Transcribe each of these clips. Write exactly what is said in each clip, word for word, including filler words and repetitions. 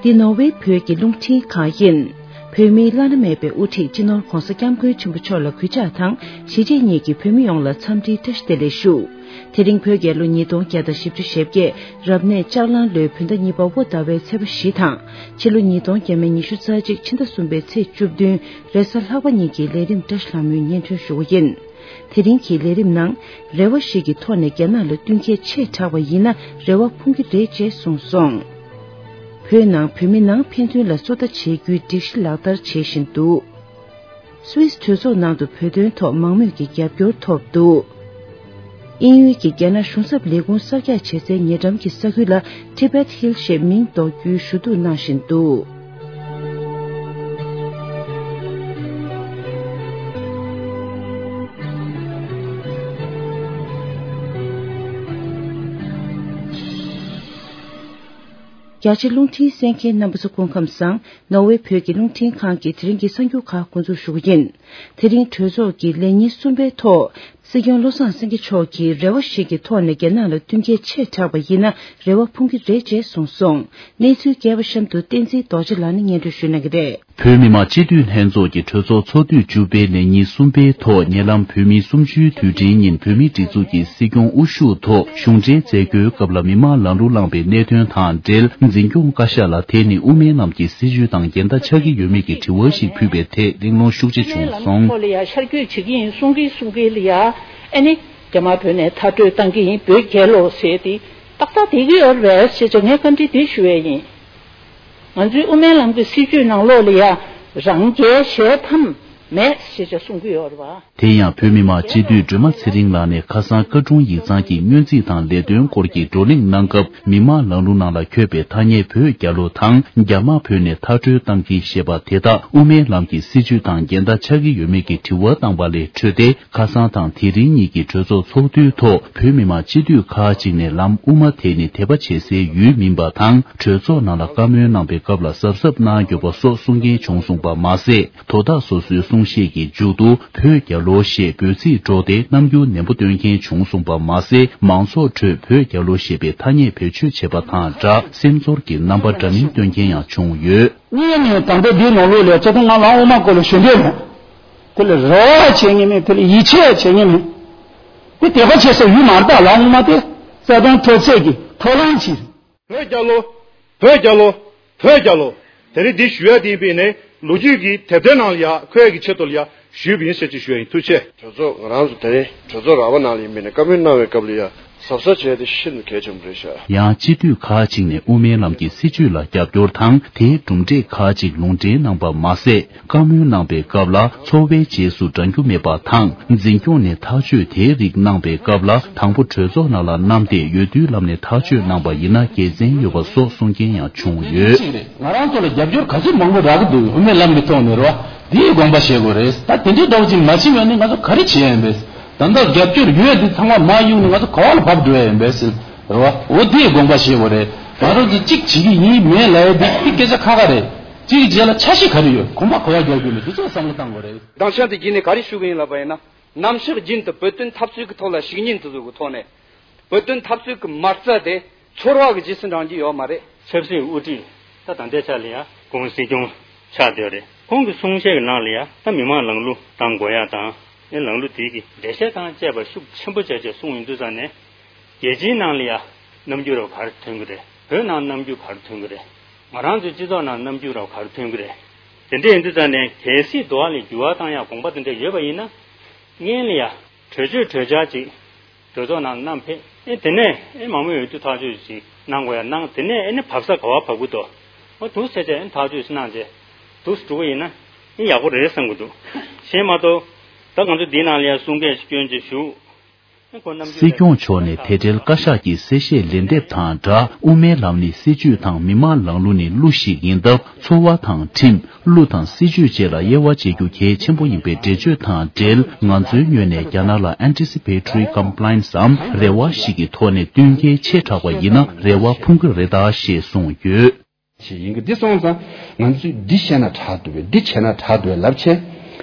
འདི་ནོར་ཝེ་བོད་ཀྱི་རླུང་འཕྲིན་ཁང་ཡིན། བོད་མིའི་བླ་ན་མེད་པའི་དབུ་ཁྲིད་སྤྱི་ནོར་༧གོང་ས་༧སྐྱབས་མགོན་ཆེན་པོ་མཆོག་ལ་གུས་ཕྱག་དང་གཞིས་བྱེས་གཉིས་ཀྱི་བོད་མི་ཡོངས་ལ་འཚམས་འདྲིའི་བཀྲ་ཤིས་བདེ་ལེགས་ཞུ། དེ་རིང་བོད་རྒྱལ་ལོ་ཉིས་སྟོང་བརྒྱ་དང་བཞི་བཅུ་ཞེ་བརྒྱད་རབ་གནས་ལྕགས་གླང་ལོའི་བོད་ཟླ་གཉིས་པ་དབོ་ཟླ་བའི་ཚེས་པ་བཞི་དང་ཕྱི་ལོ་ཉིས་སྟོང་ཉི་ཤུ་རྩ་གཅིག་ཕྱི་ཟླ་གསུམ་པའི་ཚེས་བཅུ་བདུན་རེས་གཟའ་ལྷག་པ་ཉིན་གྱི་ལས་རིམ་བཀྲ་ཤིས་ལྷ་མོའི་སྙན་སྒྲོན་ཞུ་བ་ཡིན། དེ་རིང་གི་ལས་རིམ་ནང་རེ་བ་ཞིག་གི་ཐོག་ནས་རྒྱ་ནག་ལ་བསྟུན་མཁས་ཆེ་དྲགས་པ་ཡིན་ན་རེ་བ་ཕུང་གི་རེད་ཅེས་གསུངས་སོང་། བོད་ནང་བོད་མི་ནང་ཕན་ཚུན་ལ་བཙོ་ལྟ་བྱེད་རྒྱུའི་སྒྲིག་གཞི་ལག་བསྟར་བྱེད་བཞིན་འདུག་སུད་སི་གྲོས་ཚོགས་ནང་དུ་བོད་དོན་ཐོག་མང་མོས་ཀྱི་རྒྱབ་སྐྱོར་ཐོབ་འདུག་དབྱིན་ཡུལ་གྱི་རྒྱ་ནག་གཞུང་ཚབ་ལས་ཁུངས་གསར་རྒྱག་བྱེད་སའི་ཉེ་འགྲམ་གྱི་ས་ཁུལ་ལ་Tibet Hill ཞེས་མིང་འདོགས་རྒྱུའི་ཞུ་གཏུག་གནང་བཞིན་འདུག་རྒྱ་ཆེ་རླུང་འཕྲིན་གསན་མཁན་རྣམ་པ་ཚོ་སྐུ་ཁམས་བཟང་། ནོར་ཝེ་བོད་ཀྱི་རླུང་འཕྲིན་ཁང་གི་དེ་རིང་གི་གསར་འགྱུར་ཁག་འགོ་འཛུགས་ཞུ་གི་ཡིན། དེ་རིང་གྲོས་ཚོགས་ཀྱི་ལས་ཉིན་གསུམ་པའི་ཐོག་སྲིད་སྐྱོང་བློ་བཟང་སེང་གེ་མཆོག་གིས་རེ་བ་ཞིག་གི་ཐོག་ནས་རྒྱ་ནག་ལ་བསྟུན་མཁས་ཆེ་དྲགས་པ་ཡིན་ན་རེ་བ་ཕུང་གི་རེད་ཅེས་གསུངས་སོང་། གནས་ཚུལ་རྒྱས་པ་གཤམ་དུ་བསྟན་འཛིན་རྡོ་རྗེ་ལགས་ནས་སྙན་སྒྲོན་ཞུ་གནང་གི་རེད། བོད་མི་མང་སྤྱི་འཐུས་ལྷན་ཚོགས་ཀྱི་གྲོས་ཚོགས་ཚོགས་དུས་བཅུ་པའི་ལས་ཉིན་གསུམ་པའི་ཐོག་ཉེ་ལམ་བོད་མིའི་གསུམ་བཅུའི་དུས་དྲན་ཉིན་བོད་མིའི་སྒྲིག་འཛུགས་ཀྱི་སྲིད་སྐྱོང་དབུ་བཞུགས་ཐོག་གཞུང་འབྲེལ་མཛད་སྒོའི་སྐབས་ལ་མི་མང་ལམ་ལུགས་བླངས་པའི་གནད་དོན་དང་འབྲེལ་འཛིན་སྐྱོང་བཀའ་ཤག་ལ་དེ་ནི་དབུ་མའི་ལམ་གྱི་སྲིད་བྱུས་དང་འགལ་ཟླ་ཆགས་ཀྱི་ཡོད་མེད་ཀྱི་དྲི་བ་ཞིག་ཕུལ་བའི་ཐད་གླེང་སློང་ཤུགས་ཆེ་བྱུང་སོང་། ལམ་ཐོག་ལ་ཡ་ཤར་བསྐྱོད་བྱེད་ཀྱི་ཡིན་གསུང་གི་གསུང་གི་ལ་ཡ་ཨ་ནི་རྒྱ་དམར་བོད་ནས་མཐར་སྐྲོད་བཏང་གི་ཡིན་བོད་རྒྱལ་ལོ་ཟེར་ཏེ་ཏག་ཏག་བསྡད་ཀྱི་ཡོད་རེད་ཟེར་བྱས་ངས་བཀའ་འདྲི་འདི་ཞུ་ཡས་ཡིན། ང་ཚོའི་དབུ་མའི་ལམ་གྱི་སྲིད་བྱུས་ནང་ལོགས་ལ་ཡ་རང་རྒྱལ་གཞལ་ཕམ་མེད་ཞེས་བྱ་གསུང་གི་ཡོད་རེད་བ། དེ་ཡང་བོད་མི་མང་སྤྱི་འཐུས་སྒྲོལ་མ་ཚེ་རིང་ལགས་ནས་ཁ་སང་བཀའ་དྲུང་ཡིག་ཚང་གི་སྔོན་རྩིས་དང་ལས་དོན་སྐོར་གྱི་བགྲོ་གླེང་གནང་སྐབས་མི་མང་ལམ་ལུགས་ནང་ལ་འཁོད་པའི་ཐ་སྙད་བོད་རྒྱལ་ལོ་དང་རྒྱ་དམར་བོད་ནས་མཐར་སྐྲོད་བཏང་གི་ཞེས་པ་དེ་དག་དབུ་མའི་ལམ་གྱི་སྲིད་བྱུས་དང་འགལ་ཟླ་ཆགས་ཀྱི་ཡོད་མེད་ཀྱི་དྲི་བ་བཏང་བ་ལས་འཕྲོས་ཏེ། ཁ་སང་དང་དེ་རིང་གཉིས་ཀྱི་གྲོས་ཚོགས་ཚོགས་དུས་ཐོག་བོད་མི་མང་སྤྱི་འཐུས་ཁག་ཅིག་ནས་ལམ་དབུ་མ་དེ་ནི་དད་པ་བྱེད་སའི་ཡུལ་མིན་པ་དང་གྲོས་ཚོགས་ནང་ལ་བཀའ་མོལ་གནང་པའི་སྐབས་ལ་གཟབ་གཟབ་གནང་དགོས་པ་སོགས་གསུང་མཁན་བྱུང་སོང་པ་མ་ཟད། དོ་བདག་སོ་སོའི་གསུང་བཤད་ཀྱི་མཇུག་ཏུ་བོད་རྒྱལ་ལོ་ཞེས་འབོད་ཚིག་སྒྲོག་སྟེ་རྣམ་འགྱུར་ནན་པོ་སྟོན་མཁན་བྱུང་སོང་པ་མ་ཟད། མང་ཚོགས་ཁྲོད་བོད་རྒྱལ་ལོ་ཞེས་པའི་ཐ་སྙད་བེད་སྤྱོད་བྱས་པ་དང་སྦྲགས་སེམས་ཚོར་གྱི་རྣམ་པ་འདྲ་མིན་སྟོན་མཁན་ཡང་བྱུང་ཡོད། གཉིས་ནས་ད་ལྟ་འདིའི་ནང་ལོགས་ལ་ཚོགས་ཐོག་ང་ལམ་དབུ་མ་སྐོར་ལ་ཞུ་འདོད་མེད། དེ་ལ་རེ་བ་བྱེད་ངེས་མེད། དེ་ལ་ཡིད་ཆེས་བྱེད་ངེས་མེད། དེ་དད་པ་བྱེད་ས་ཡུལ་མ་རེད། ད་ལམ་དབུ་མ་དེ་རྩ་དོན་མཐོ་ཚད་ཀྱི་ཐོག་ལམ་ཅིག་རེད། བོད་རྒྱལ་ལོ། བོད་རྒྱལ་ལོ། བོད་རྒྱལ་ལོ། དེ་རིང་འདི་ཞུ་ཡ་དེ་ཡིན་པས་ནས་ལོ་རྒྱུས་ཀྱི་དེབ་ཐེར་ནང་ལ་ཡ་འཁོད་ཡ་གི་ཆེད་དུ་ལ་ཡ་ཞུས་པ་ཡིན་ཟེར་ཅིག་ཞུ་ཡ་ཡིན། ཐུགས་རྗེ་ཆེ། གྲོས་ཚོགས་ང་རང་ཚོ་དེ་རིང་གྲོས་ཚོགས་ར་བ་ནང་ལ་ཡིན་པས་ནས་བཀའ་མོལ་གནང་བའི་སྐབས་ལ་ཡ་གཟབ་གཟབ་བྱས་ཏེ་ཤིན་ཏུ་གལ་ཆེན་པོ་རེད་ཤག་ཡང་སྤྱི་འཐུས་ཁག་ཅིག་ནས་དབུ་མའི་ལམ་གྱི་སྲིད་བྱུས་ལ་རྒྱབ་སྐྱོར་དང་དེའི་གྲུབ་འབྲས་ཁག་ཅིག་ལུང་འདྲེན་གནང་པ་མ་ཟད། བཀའ་མོལ་གནང་པའི་སྐབས་ལ་འཚོ་བའི་རྗེས་སུ་འབྲང་རྒྱུ་མེད་པ་དང་འཛིན་སྐྱོང་ནས་ཐག་གཅོད་དེའི་རིགས་གནང་པའི་སྐབས་ལ་དང་པོ་གྲོས་ཚོགས་ནང་ལ་བསྣམས་ཏེ་འོས་བསྡུའི་ལམ་ནས་ཐག་གཅོད་གནང་པ་ཡིན་ན་དགེ་མཚན་ཡོད་པ་སོགས་གསུང་མཁན་ཡང་བྱུང་ཡོད། གཅིག་རེད། ང་རང་ཚོ་ལ་རྒྱབ་སྐྱོར་ག་ཚོད་མང་པོ་རག་གི་འདུག་དབུ་མའི་ལམ་གྱི་ཐོག་ནས་རེད་བ། དེའི་དགོངས་པ་བཞེས་དགོས་རེད། ད་དེ་འདྲའི་འདྲ་བོ་ཅིག་མ་ཕྱིན་པ་ནི་ང་ཚོ་ག་རེ་བྱེད་ཡ་ཡིན་པས། ད་ལྟ་རྒྱབ་སྐྱོར་ཡོད་དེ་ཚང་མ་མར་གཡུགས་ནས་ང་ཚོ་ག་བ་ལ་བབས་འགྲོ་ཡ་ཡིན་པས་ཟེར། རེད་བ། འོ་དེའི་དགོངས་པ་བཞེས་དགོས་རེད། ང་རང་ཚོ་གཅིག་བྱེད་ཀྱི་ཡིན་མེད་ལབ་ཡ་དེ་དེ་སྐད་ཆ་ཁ་ཁ་རེད། གཅིག་གི་རྗེས་ལ་ཆ་ཤས་ག་རེ་ཡོད། གོམ་པ་ག་བ་རྒྱག་རྒྱུ་མེད། དེ་ཚོ་བསམ་བློ་བཏང་དགོས་རེད། མདང་ཞག་དེ་བརྒྱུད་ནས་ག་རེ་ཞུ་གི་ཡིན་ལབ་པ་ཡིན་ན། ནམ་ཞག་རྒྱུན་དུ་བོད་དོན་འཐབ་རྩོད་ཀྱི་ཐོག་ལ་བཤེས་གཉེན་དེ་ཚོ་གི་ཐོག་ནས། བོད་དོན་འཐབ་རྩོད་ཀྱི་མ་རྩ་དེ་ཚོར་བ་གི་རྗེས་སུ་འབྲང་རྒྱུ་ཡོད་མ་རེད། ཆབ་སྲིད་དབུ་ཁྲིད་ད་ད་ལྟའི་ཆ་ལ་ཡ་ཁོང་སྲིད་སྐྱོང་ཆགས་བསྡད་རེད། ཁོང་གི་གསུང་བཤད་ཀྱི་ནང་ལ་ཡ་ད་མི་མང་ལམ་ལུགས་དང་དགོས་ཡ་དང་ཨེ་ལམ་ལུགས་དེ་གི་འགྲེལ་བཤད་དང་བཅས་པ་ཤུགས་ཆེན་པོ་བྱས་བྱས་གསུངས་ཡོང་དུས་ཙང་ནས། རྒྱལ་སྤྱིའི་ནང་ལ་ཡ་རྣམ་འགྱུར་རབ་ག་རེ་ཐོན་གི་རེད། བོད་ནང་རྣམ་འགྱུར་ག་རེ་ཐོན་གི་རེད། ང་རང་ཚོའི་སྤྱི་ཚོགས་ནང་རྣམ་འགྱུར་རབ་ག་རེ་ཐོན་གི་རེད། དེ་འདྲ་ཡིན་དུས་ཙང་ནས་གལ་སྲིད་འགྲོ་བ་ལ་འགྱུར་བ་བཏང་ཡ་དགོངས་པ་དེ་འདྲ་ཡོད་པ་ཡིན་ན། སྔོན་ལ་ཡ་གྲོས་ཆོད་གྲོས་འཆར་ཅིག་གྲོས་ཚོགས་ནང་བསྣམས་ཕེབས་ཨེ་དེ་ནས་ཨེ་མང་མོས་འོས་བསྡུ་ཐག་གཅོད་ཅིག་གནང་དགོས་ཡ་གནང་། དེ་ནས་ཨེ་ནི་བབས་ས་ག་བ་བབས་གི་འདུག་འོ་འདུག་ཟེར་བྱས་ཨེ་ཐག་གཅོད་ཅིག་གནང་བྱས་འདུག་སེ་འགྲོ་གི་ཡིན་ན་ཨེ་ཡག་པོ་རེད་བསམ་གི་འདུག་གཞན་མ་གཏོགས་ད་ང་ཚོ་འདི་ནང་ལ་ཡ་གསུང་སྐད་ཅིག་སྐྱོན་ཅིག་ཞུ། སྲིད་སྐྱོང་མཆོག་ནས་དེ་འབྲེལ་བཀའ་ཤག་གི་གསལ་བཤད་ལན་འདེབས་དང་སྦྲགས། དབུ་མའི་ལམ་ནི་སྲིད་བྱུས་དང་མི་མང་ལམ་ལུགས་ནི་གླུ་ཞིག་ཡིན་སྟབས། འཚོ་བ་དང་ཁྲིམས། གླུ་དང་སྲིད་བྱུས་བཅས་ལ་དབྱེ་བ་འབྱེད་རྒྱུ་གལ་ཆེན་པོ་ཡིན་པའི་འགྲེལ་བརྗོད་དང་འབྲེལ། ང་ཚོའི་ངོས་ནས་རྒྱ་ནག་ལ་Anticipatory Compliance འམ་རེ་བ་ཞིག་གི་ཐོག་ནས་བསྟུན་མཁས་ཆེ་དྲགས་པ་ཡིན་ན་རེ་བ་ཕུང་གི་རེད་ད་ཞེས་གསུངས་ཡོད། ཞིག་ཡིན་གྱི། འདི་སོང་ཙང་ང་ཚོས་འདི་བཤད་ན་དྲག་འདུག་པས། འདི་བྱས་ན་དྲག་འདུག་པས་ལབ་བྱས།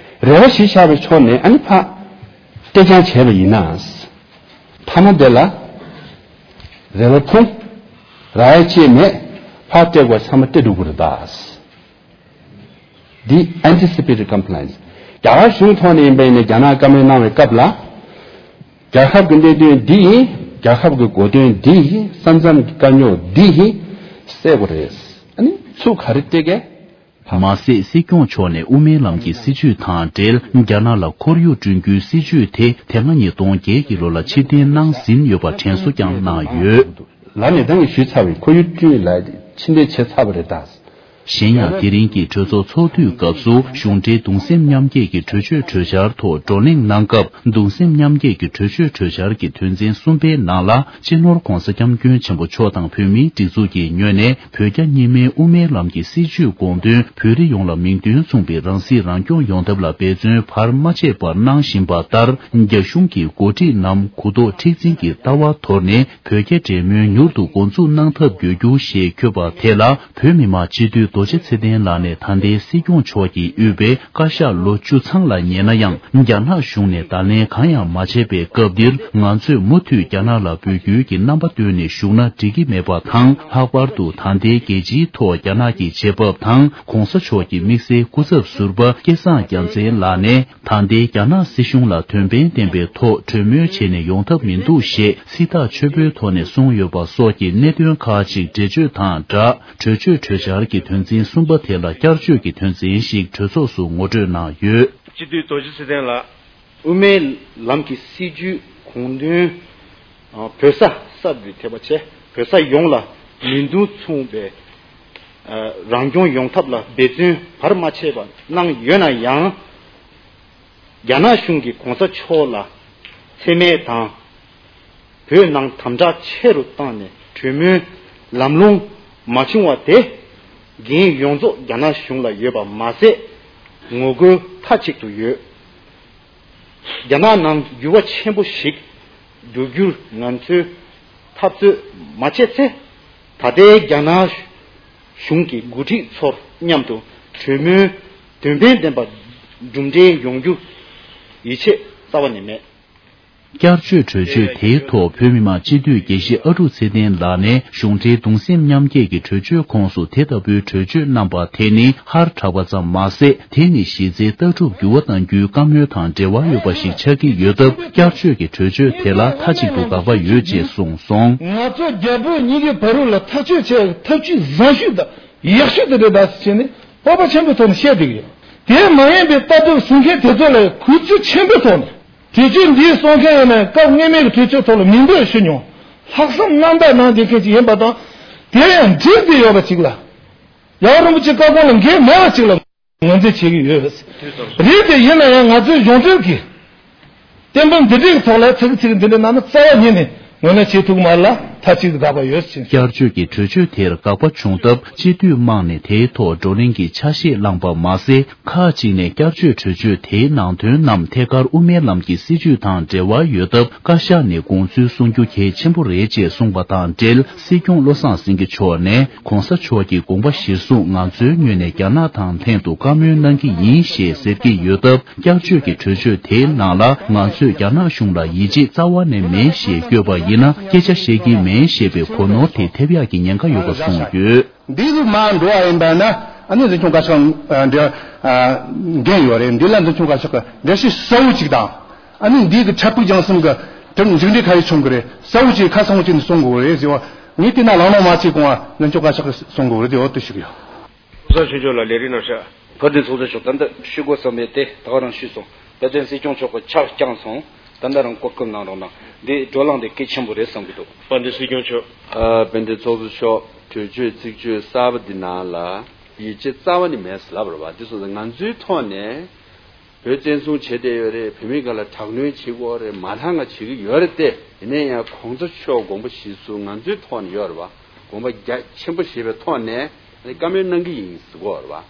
རེ་བ་ཞིག་བཞག་པའི་ཕྱོགས་ནས་ཨ་ནི་ཕ། གཏན་འཁྱོངས་བྱས་པ་ཡིན་ན། མཐའ་མ་དེ་ལ་རེ་བ་ཕུང་། རག་ཡ་ཅིག་མེད། ཁ་སྤྲད་དགོས་ཚང་མ་སྤྲད་འགྲོ་གི་རེད་ད། འདི་anticipatory compliance། རྒྱ་གར་གཞུང་ཐོག་ནས་ཡིན་པ་ཡིན་ན་རྒྱ་ནག་བཀའ་མོལ་གནང་བའི་སྐབས་ལ། རྒྱལ་ཁབ་ཀྱི་གནད་དོན་འདི་ཡིན། རྒྱལ་ཁབ་ཀྱི་གོ་དོན་འདི་ཡིན། ས་མཚམས་ཀྱི་དཀའ་རྙོག་འདི་ཡིན། སེལ་དགོས་རེད། ཨ་ནི་ཚུར་ག་རེ་སྤྲད་གས། མ་ཟད་སྲིད་སྐྱོང་མཆོག་ནས་དབུ་མའི་ལམ་གྱི་སྲིད་བྱུས་དང་འབྲེལ་རྒྱ་ནག་ལ་ཁོར་ཡུག་བསྐྲུན་རྒྱུའི་སྲིད་བྱུས་དེ་དེ་སྔ་ཉིས་སྟོང་བརྒྱད་ཀྱི་ལོ་ལ་ཕྱིར་འཐེན་གནང་ཟིན་ཡོད་པ་དྲན་གསོ་ཀྱང་གནང་ཡོད། ལར་ནས་ད་ངས་ཞུས་ཚར་བའི་ཁོར་ཡུག་བསྐྲུན་ལ་ཕྱིར་འཐེན་བྱས་ཚར་བ་རེད་ད། གཞན་ཡང་དེ་རིང་གི་གྲོས་ཚོགས་ཚོགས་དུས་སྐབས་སུ་གཞུང་འབྲེལ་གདུང་སེམས་མཉམ་སྐྱེད་ཀྱི་གྲོས་ཆོད་གྲོས་འཆར་ཐོག་བགྲོ་གླེང་གནང་སྐབས། གདུང་སེམས་མཉམ་སྐྱེད་ཀྱི་གྲོས་ཆོད་གྲོས་འཆར་གྱི་དོན་ཚན་གསུམ་པའི་ནང་ལ། སྤྱི་ནོར་༧གོང་ས་༧སྐྱབས་མགོན་ཆེན་པོ་མཆོག་དང་བོད་མིའི་སྒྲིག་འཛུགས་ཀྱི་ངོས་ནས་བོད་རྒྱ་གཉིས་སྨན་དབུ་མའི་ལམ་གྱི་སྲིད་བྱུས་དགོངས་དོན་བོད་རིགས་ཡོངས་ལ་མིང་དོན་མཚུངས་པའི་རང་སྲིད་རང་སྐྱོང་ཡོང་ཐབས་ལ་འབད་བརྩོན་བར་མ་ཆད་པར་གནང་བཞིན་པ་ལྟར། རྒྱ་གཞུང་གི་འགོ་ཁྲིད་རྣམས་གུ་དོག་མཁྲེགས་འཛིན་གྱི་ལྟ་བ་དོར་ནས། བོད་རྒྱ་འབྲེལ་མོལ་མྱུར་དུ་འགོ་འཛུགས་གནང་ཐབས་དགོས་རྒྱུ་ཞེས་འཁོད་པ་དེ་ལ། བོད་མི་མང་སྤྱི་འཐུས་རྡོ་རྗེ་ཚེ་བརྟན་ལགས་ནས་ད་ལྟའི་སྲིད་སྐྱོང་མཆོག་གིས་དབུས་པའི་བཀའ་ཤག་ལོ་བཅུ་ཚང་ལ་ཉེ་ན་ཡང་། རྒྱ་ནག་གཞུང་ནས་བརྡ་ལན་གང་ཡང་མ་བྱས་པའི་སྐབས་འདིར། ང་ཚོས་མུ་མཐུད་རྒྱ་ནག་ལ་འབོད་སྐུལ་གྱི་རྣམ་པ་བཏོན་ནས་བཞུགས་ན་འགྲིག་གི་མེད་པ་དང་། ལྷག་པར་དུ་ད་ལྟའི་རྒྱལ་སྤྱིའི་ཐོག་རྒྱ་ནག་གི་བྱེད་བབ་དང་། ༸གོང་ས་མཆོག་གི་དམིགས་བསལ་སྐུ་ཚབ་ཟུར་པ་སྐལ་བཟང་རྒྱལ་མཚན་ལགས་ནས། ད་ལྟའི་རྒྱ་ནག་སྲིད་གཞུང་ལ་དོན་ཕན་ལྡན་པའི་ཐོག་གྲོས་མོལ་བྱས་ནས་ཡོང་ཐབས་མི་འདུག་ཞེས་སྲིད་ཐག་ཆོད་པོའི་ཐོག་ནས་གསུངས་ཡོད་པ་སོགས་ཀྱི་གནད་དོན་ཁག་ཅིག་འགྲེལ་བརྗོད་དང་སྦྲགས། གྲོས་ཆོད་གྲོས་འཆར་གྱི་དོན་ཚན་གསུམ་པ་དེ་ལ་བསྐྱར་བཅོས་ཀྱི་དོན་ཚན་ཞིག་གྲོས་ཚོགས་སུ་ངོ་སྤྲོད་གནང་ཡོད། སྤྱི་འཐུས་རྡོ་རྗེ་ཚེ་བརྟན་ལགས། དབུ་མའི་ལམ་གྱི་སྲིད་བྱུས་དགོངས་དོན། ཨ། བོད་ས་གསར་དུ་ཐེ་བ་ཆེ་བོད་ས་ཡོངས་ལ་མིང་དོན་མཚུངས་པའི། ཨ། རང་སྐྱོང་ཡོང་ཐབས་ལ་འབད་བརྩོན་བར་མ་ཆད་པ་གནང་ཡོད་ན་ཡང་། རྒྱ་ནག་གཞུང་གིས་གོང་ས་མཆོག་ལ་མཚན་སྨད་དང་། བོད་ནང་དམ་དྲག་ཆེ་རུ་བཏང་ནས་གྲོས་མོལ་ལམ་ལྷོང་མ་བྱུང་བ་དེ། འགན་ཡོངས་རྫོགས་རྒྱ་ནག་གཞུང་ལ་ཡོད་པ་མ་ཟད། ངོ་རྒོལ་མཐའ་གཅིག་ཏུ་ཡོད། རྒྱ་ནག་ནང་འགྱུར་བ་ཆེན་པོ་ཞིག་འགྲོ་རྒྱུར་ང་ཚོས་འཐབ་རྩོད་མ་བྱས་ཚེ། ད་ལྟའི་རྒྱ་ནག་གཞུང་གི་འགོ་ཁྲིད་ཚོར་མཉམ་དུ་གྲོས་མོལ་དོན་ཕན་ལྡན་པ་གྲུབ་འབྲས་ཡོང་རྒྱུ་ཡིད་ཆེས་རྩ་བ་ནས་མེད། བསྐྱར་བཅོས་གྲོས་ཆོད་དེའི་ཐོག་བོད་མི་མང་སྤྱི་འཐུས་དགེ་བཤེས་ཨ་ཀྲུག་ཚེ་བརྟན་ལགས་ནས་གཞུང་འབྲེལ་གདུང་སེམས་མཉམ་སྐྱེད་ཀྱི་གྲོས་ཆོད་ཁོངས་སུ་དེ་ལྟ་བུའི་གྲོས་ཆོད་གནང་པ་དེ་ནི་ཧར་དྲག་པ་ཙམ་མ་ཟད། དེ་ནི་གཞི་རྩའི་ལྟ་གྲུབ་འགྱུར་བ་གཏང་རྒྱུའི་བཀའ་མོལ་དང་འབྲེལ་བ་ཡོད་པ་ཞིག་ཆགས་ཀྱི་ཡོད་སྟབས། བསྐྱར་བཅོས་ཀྱི་གྲོས་ཆོད་དེ་ལ་མཐའ་གཅིག་ཏུ་དགག་པ་ཡོད་ཅེས་གསུངས་སོང་། ང་ཚོ་རྒྱ་བོད་གཉིས་ཀྱི་བར་ལ་ཐག་གཅོད་བྱེད་ཐབས་ཇུས་བཟང་ཤོས་དང་ཡག་ཤོས་དེ་རེད་ད་ཟེར་ནས་སྤོབས་པ་ཆེན་པོའི་ཐོག་ནས་བཤད་བསྡད་ཀྱི་ཡོད། དེ་མ་ཡིན་པའི་ལྟ་གྲུབ་བཟུང་མཁན་དེ་ཚོ་ལ་གུས་བརྩི་ཆེན་པོའི་ཐོག་ནས། གྲོས་ཆོད་འདི་གསུང་མཁན་ཡིན་ན་སྐབས་སྔོན་མའི་གྲོས་ཆོད་ཐོག་ལ་མིང་འབོད་ཞུ་མྱོང་། ལྷག་བསམ་རྣམ་དག་གནང་བསྡད་མཁན་ཅིག་ཡིན་པ་དང་། དེ་ཡང་འགྲིག་བསྡད་ཡོད་པ་ཅིག་ལ། རྒྱལ་བ་རིན་པོ་ཆེ་བཀའ་དགོངས་ལ་འགལ་མེད་པ་ཅིག་ལ་ངོས་འཛིན་བྱེད་ཀྱི་ཡོད། རེད་དེ་ཡིན་ན་ཡང་ང་ཚོའི་གཞུང་འབྲེལ་གྱི་བསྟན་པ་འདི་འདྲའི་ཐོག་ལ་ཚིག་ཚིག་འདི་འདྲ་གནང་ན་རྩ་བ་ཉིད་ནས་ངོས་ལེན་བྱེད་ཐུབ་མ་རེད་ལ་མཐའ་གཅིག་ཏུ་དགག་པ་ཡོད་ཅེས། བསྐྱར་བཅོས་ཀྱི་གྲོས་ཆོད་དེར་དགག་པ་བྱུང་སྟབས་སྤྱི་འཐུས་དམངས་ནས་དེའི་ཐོག་བགྲོ་གླེང་གི་ཆ་ཤས་བླངས་པ་མ་ཟད། ཁག་ཅིག་ནས་བསྐྱར་བཅོས་གྲོས་ཆོད་དེའི་ནང་དོན་རྣམས་ཐད་ཀར་དབུ་མའི་ལམ་གྱི་སྲིད་བྱུས་དང་འབྲེལ་བ་ཡོད་སྟབས། བཀའ་ཤག་ནས་དགོངས་ཚུལ་གསུང་རྒྱུ་གལ་ཆེན་པོ་རེད་ཅེས་གསུངས་པ་དང་འབྲེལ། སྲིད་སྐྱོང་བློ་བཟང་སེང་གེ་མཆོག་ནས་གོང་ས་མཆོག་གི་དགོངས་པ་གཞིར་བཟུང་ང་ཚོའི་ངོས་ནས་རྒྱ་ནག་དང་ལྷན་དུ་བཀའ་མོལ་གནང་གི་ཡིན་ཞེས་ཟེར་གྱི་ཡོད་སྟབས། བསྐྱར་བཅོས་ཀྱི་གྲོས་ཆོད་དེའི་ནང་ལ་ང་ཚོས་རྒྱ་ནག་གཞུང་ལ་ཡིད་ཆེས་རྩ་བ་ནས་མེད་ཞེས་བཀོད་པ་ཡིན་ན། སྐད་ཆ་བཤད་ཀྱི་མེད་ཞེས་པའི་གོ་ནོར་དེ་ཐེབས་ཡག་གི་ཉེན་ཁ་ཡོད་པ་གསུངས་ཡོད། འདི་ལ་མར་འགྲོ་བ་ཡིན་པ་ན་ཨ་ནི་འཛིན་སྐྱོང་བཀའ་ཤག་འདི་འགན་ཡོད་རེད། འདི་ལ་འཛིན་སྐྱོང་བཀའ་ཤག་གི་འགྲེལ་བཤད་གསལ་བོ་ཅིག་དང་། ཨ་ནི་འདི་གི་འཕྲལ་ཕུགས་རྒྱང་གསུམ་གི་དེར་མཇུག་འབྲས་ག་རེ་བྱུང་གི་རེད། གསལ་བོ་ཅིག་ཁ་ཚང་བོ་ཅིག་ནས་གསུང་དགོས་རེད་ཟེར་བ། ངས་བལྟས་ན་ལམ་ལྷོང་མ་བྱས་གོང་ང་འཛིན་སྐྱོང་བཀའ་ཤག་གི་གསུང་དགོས་རེད་དེ་འོ་དེ་ཞིག་ཡོད། གོང་ས་མཆོག་ལ་ལས་རིམ་ནང་བཞག་དཔལ་ལྡན་ཚོགས་གཙོ་མཆོག་ད་ལྟ་ཞུ་དགོས་བསམ་པའི་དེ་ད་ག་རང་ཞུས་སོང་། དཔལ་ལྡན་སྲིད་སྐྱོང་མཆོག་གི་ཕྱག་བརྐྱངས་སོང་། ད་ལྟ་རང་གོ་སྐབས་གནང་རོགས་གནང་། འདི་བགྲོ་གླེང་འདི་གལ་ཆེན་པོ་རེད་བསམ་གྱི་འདུག་དཔལ་ལྡན་སྲིད་སྐྱོང་མཆོག་ཨ། དཔལ་ལྡན་ཚོགས་གཙོ་མཆོག་གྲོས་ཆོད་ཚིག་བརྗོད་གསར་པ་འདི་ནང་ལ་ཡིད་ཆེས་རྩ་བ་ནས་མེད་ཟེར་ལབ་པ་རེད་བ། འདི་སོང་ཙང་ང་ཚོའི་ཐོག་ནས་བོད་བཙན་བཟུང་བྱས་བསྡད་ཡོད་རེད། བོད་མི་སྒང་ལ་དྲག་གནོན་བྱེད་ཀྱི་ཡོད་རེད། མ་མཐའ་ང་བྱེད་ཀྱི་ཡོད་རེད་དེ། ཡིན་ན་ཡང་གོང་ས་མཆོག་དགོངས་པ་གཞིར་བཟུང་ང་ཚོའི་ཐོག་ནས་ཡོད་རེད་བ། དགོངས་པ་རྒྱ་ཆེན་པོ་བཞེས་པའི་ཐོག་ནས་བཀའ་མོལ་གནང་གི་ཡིན་ཟེར་གྱི་ཡོད་རེད་བ།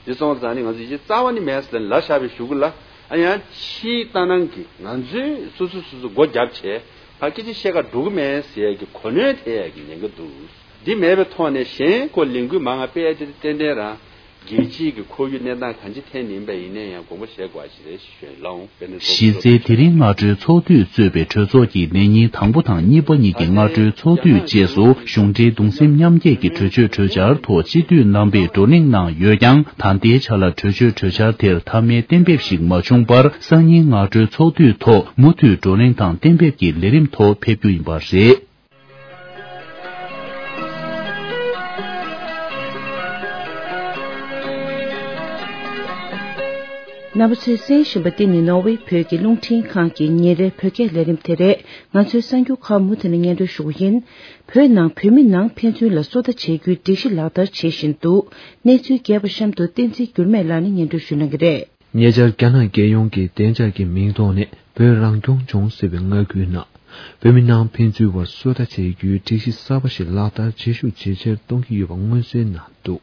དེ་སོང་ཙང་ནི་ང་ཚོ་ཡིད་ཆེས་རྩ་བ་ནས་མེད་ཟེར་ལབ་བཞག་པའི་གཞུག་གུ་ལ། ཨ་ཡང་ཕྱིའི་ལྟ་སྣང་གིས་ང་ཚོས་སོ་སོ་སོ་སོ་སྒོ་བརྒྱབ་བྱས་ཕར་སྐད་ཆ་བཤད་ག་འགྲོ་གི་མེད་ཟེར་ཡས་ཀྱི་གོ་གནོན་ཐེབས་ཡས་ཀྱི་ཉེན་ཁ་འདུག་འདི་མེད་པའི་ཐོག་ནས་གཞན་ཁོ་ལས་འགུལ་མང་ང་སྤེལ་ཡས་དེ་ཏན་ཏན་རང་ རྒྱལ་སྤྱིའི་གི་ཁོར་ཡུག་གནས་སྟངས་གང་ཅི་ཐད་ནས་ཡིན་པ་ཡིན་ན་ཡང་དགོངས་པ་བཞེས་དགོས་པ་ཞིག་རེད་ཞུ་ལོང་། དཔེར་ན་གཞི་རྩའི་དེ་རིང་སྔ་དྲོའི་ཚོགས་འདུས་གཙོས་པའི་གྲོས་ཚོགས་ཀྱི་ལས་ཉིན་དང་པོ་དང་གཉིས་པ་གཉིས་ཀྱི་སྔ་དྲོའི་ཚོགས་འདུས་རྗེས་སུ་གཞུང་འབྲེལ་གདུང་སེམས་མཉམ་སྐྱེད་ཀྱི་གྲོས་ཆོད་གྲོས་འཆར་ཐོག་སྤྱི་འཐུས་རྣམ་པས་བགྲོ་གླེང་གནང་ཡོད་ཀྱང་། ད་ལྟའི་ཆ་ལ་གྲོས་ཆོད་གྲོས་འཆར་དེར་མཐའ་མའི་གཏན་འབེབས་ཤིག་མ་བྱུང་བར། སང་ཉིན་སྔ་དྲོའི་ཚོགས་འདུས་ཐོག་མུ་མཐུད་བགྲོ་གླེང་དང་གཏན་འབེབས་ཀྱི་ལས་རིམ་ཐོག་ཕེབས་རྒྱུ་ཡིན་པ་རེད། རྣམ་པ་ཚོས་གསན་བཞིན་པ་འདི་ནི་ནོར་ཝེ་བོད་ཀྱི་རླུང་འཕྲིན་ཁང་གི་ཉིན་རེའི་བོད་སྐད་ལས་རིམ་དེ་རེད། ང་ཚོའི་གསར་འགྱུར་ཁག་མུ་མཐུད་ནས་སྙན་སྒྲོན་ཞུ་གི་ཡིན། བོད་ནང་བོད་མི་ནང་ཕན་ཚུན་ལ་སོ་ལྟ་བྱེད་རྒྱུའི་སྒྲིག་གཞི་ལག་བསྟར་བྱེད་བཞིན་འདུག་གནས་ཚུལ་རྒྱས་པ་གཤམ་དུ་བསྟན་འཛིན་འགྱུར་མེད་ལགས་ནས་སྙན་སྒྲོན་ཞུ་གནང་གི་རེད། ཉེ་ཆར་རྒྱ་ནག་རྒྱལ་ཡོངས་ཀྱི་བདེ་འཇགས་ཀྱི་མིང་ཐོག་ནས་བོད་རང་སྐྱོང་ལྗོངས་ཟེར་བའི་མངའ་ཁུལ་ནང་བོད་མི་ནང་ཕན་ཚུན་བར་སོ་ལྟ་བྱེད་རྒྱུའི་སྒྲིག་གཞི་གསར་པ་ཞིག་ལག་བསྟར་ཇེ་ཤུགས་ཇེ་ཆེར་གཏོང་གི་ཡོད་པ་མངོན་གསལ་གནང་འདུག་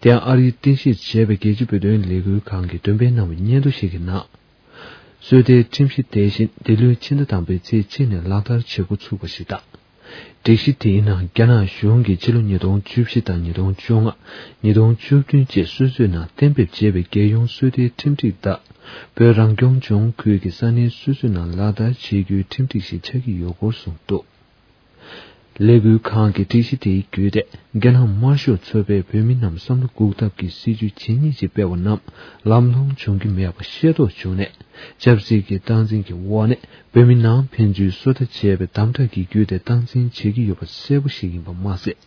དེ་ཡང་ཨ་རིའི་རྟེན་གཞི་བྱས་པའི་རྒྱལ་སྤྱི་བོད་དོན་ལས་འགུལ་ཁང་གིས་འདོན་སྤེལ་གནང་བའི་སྙན་ཐོ་ཞིག་གི་ནང་། སོ་ལྟའི་ཁྲིམས་གཞི་དེ་བཞིན་འདི་ལོའི་ཕྱི་ཟླ་དང་པོའི་ཚེས་གཅིག་ནས་ལག་བསྟར་བྱེད་འགོ་ཚུགས་པ་ཞིག་དང་། སྒྲིག་གཞི་དེའི་ནང་རྒྱ་ནག་གཞུང་གིས་ཕྱི་ལོ་ཉིས་སྟོང་བཅུ་བཞི་དང་ཉིས་སྟོང་བཅོ་ལྔ། ཉིས་སྟོང་བཅུ་བདུན་བཅས་སོ་སོའི་ནང་གཏན་འབེབས་བྱས་པའི་རྒྱལ་ཡོངས་སོ་ལྟའི་ཁྲིམས་སྒྲིག་ལྟར། བོད་རང་སྐྱོང་ལྗོངས་ཁུལ་གྱི་ས་གནས་སོ་སོའི་ནང་ལག་བསྟར་བྱེད་རྒྱུའི་ཁྲིམས་སྒྲིག་ཞིག་ཆགས་ཀྱི་ཡོད་སྐོར་གསུངས་འདུག་ལས་འགུལ་ཁང་གི་སྒྲིག་གཞི་དེའི་བརྒྱུད་དེ་རྒྱ་ནག་དམར་ཤོག་ཚོགས་པས་བོད་མི་རྣམས་བསམ་བློ་འགུག་ཐབས་ཀྱི་སྲིད་ཇུས་ཇི་སྙེད་ཅིག་སྤེལ་བ་རྣམས་ལམ་ལྷོང་བྱུང་གི་མེད་པ་ཤེས་རྟོགས་བྱུང་ནས། ཆབ་སྲིད་ཀྱི་སྟངས་འཛིན་གྱི་འོག་ནས་བོད་མི་ནང་ཕན་ཚུན་སོ་ལྟ་བྱས་པའི་དམ་དྲག་གི་བརྒྱུད་དེ་སྟངས་འཛིན་བྱེད་ཀྱི་ཡོད་པ་གསལ་པོ་ཞིག་ཡིན་པ་མ་ཟད།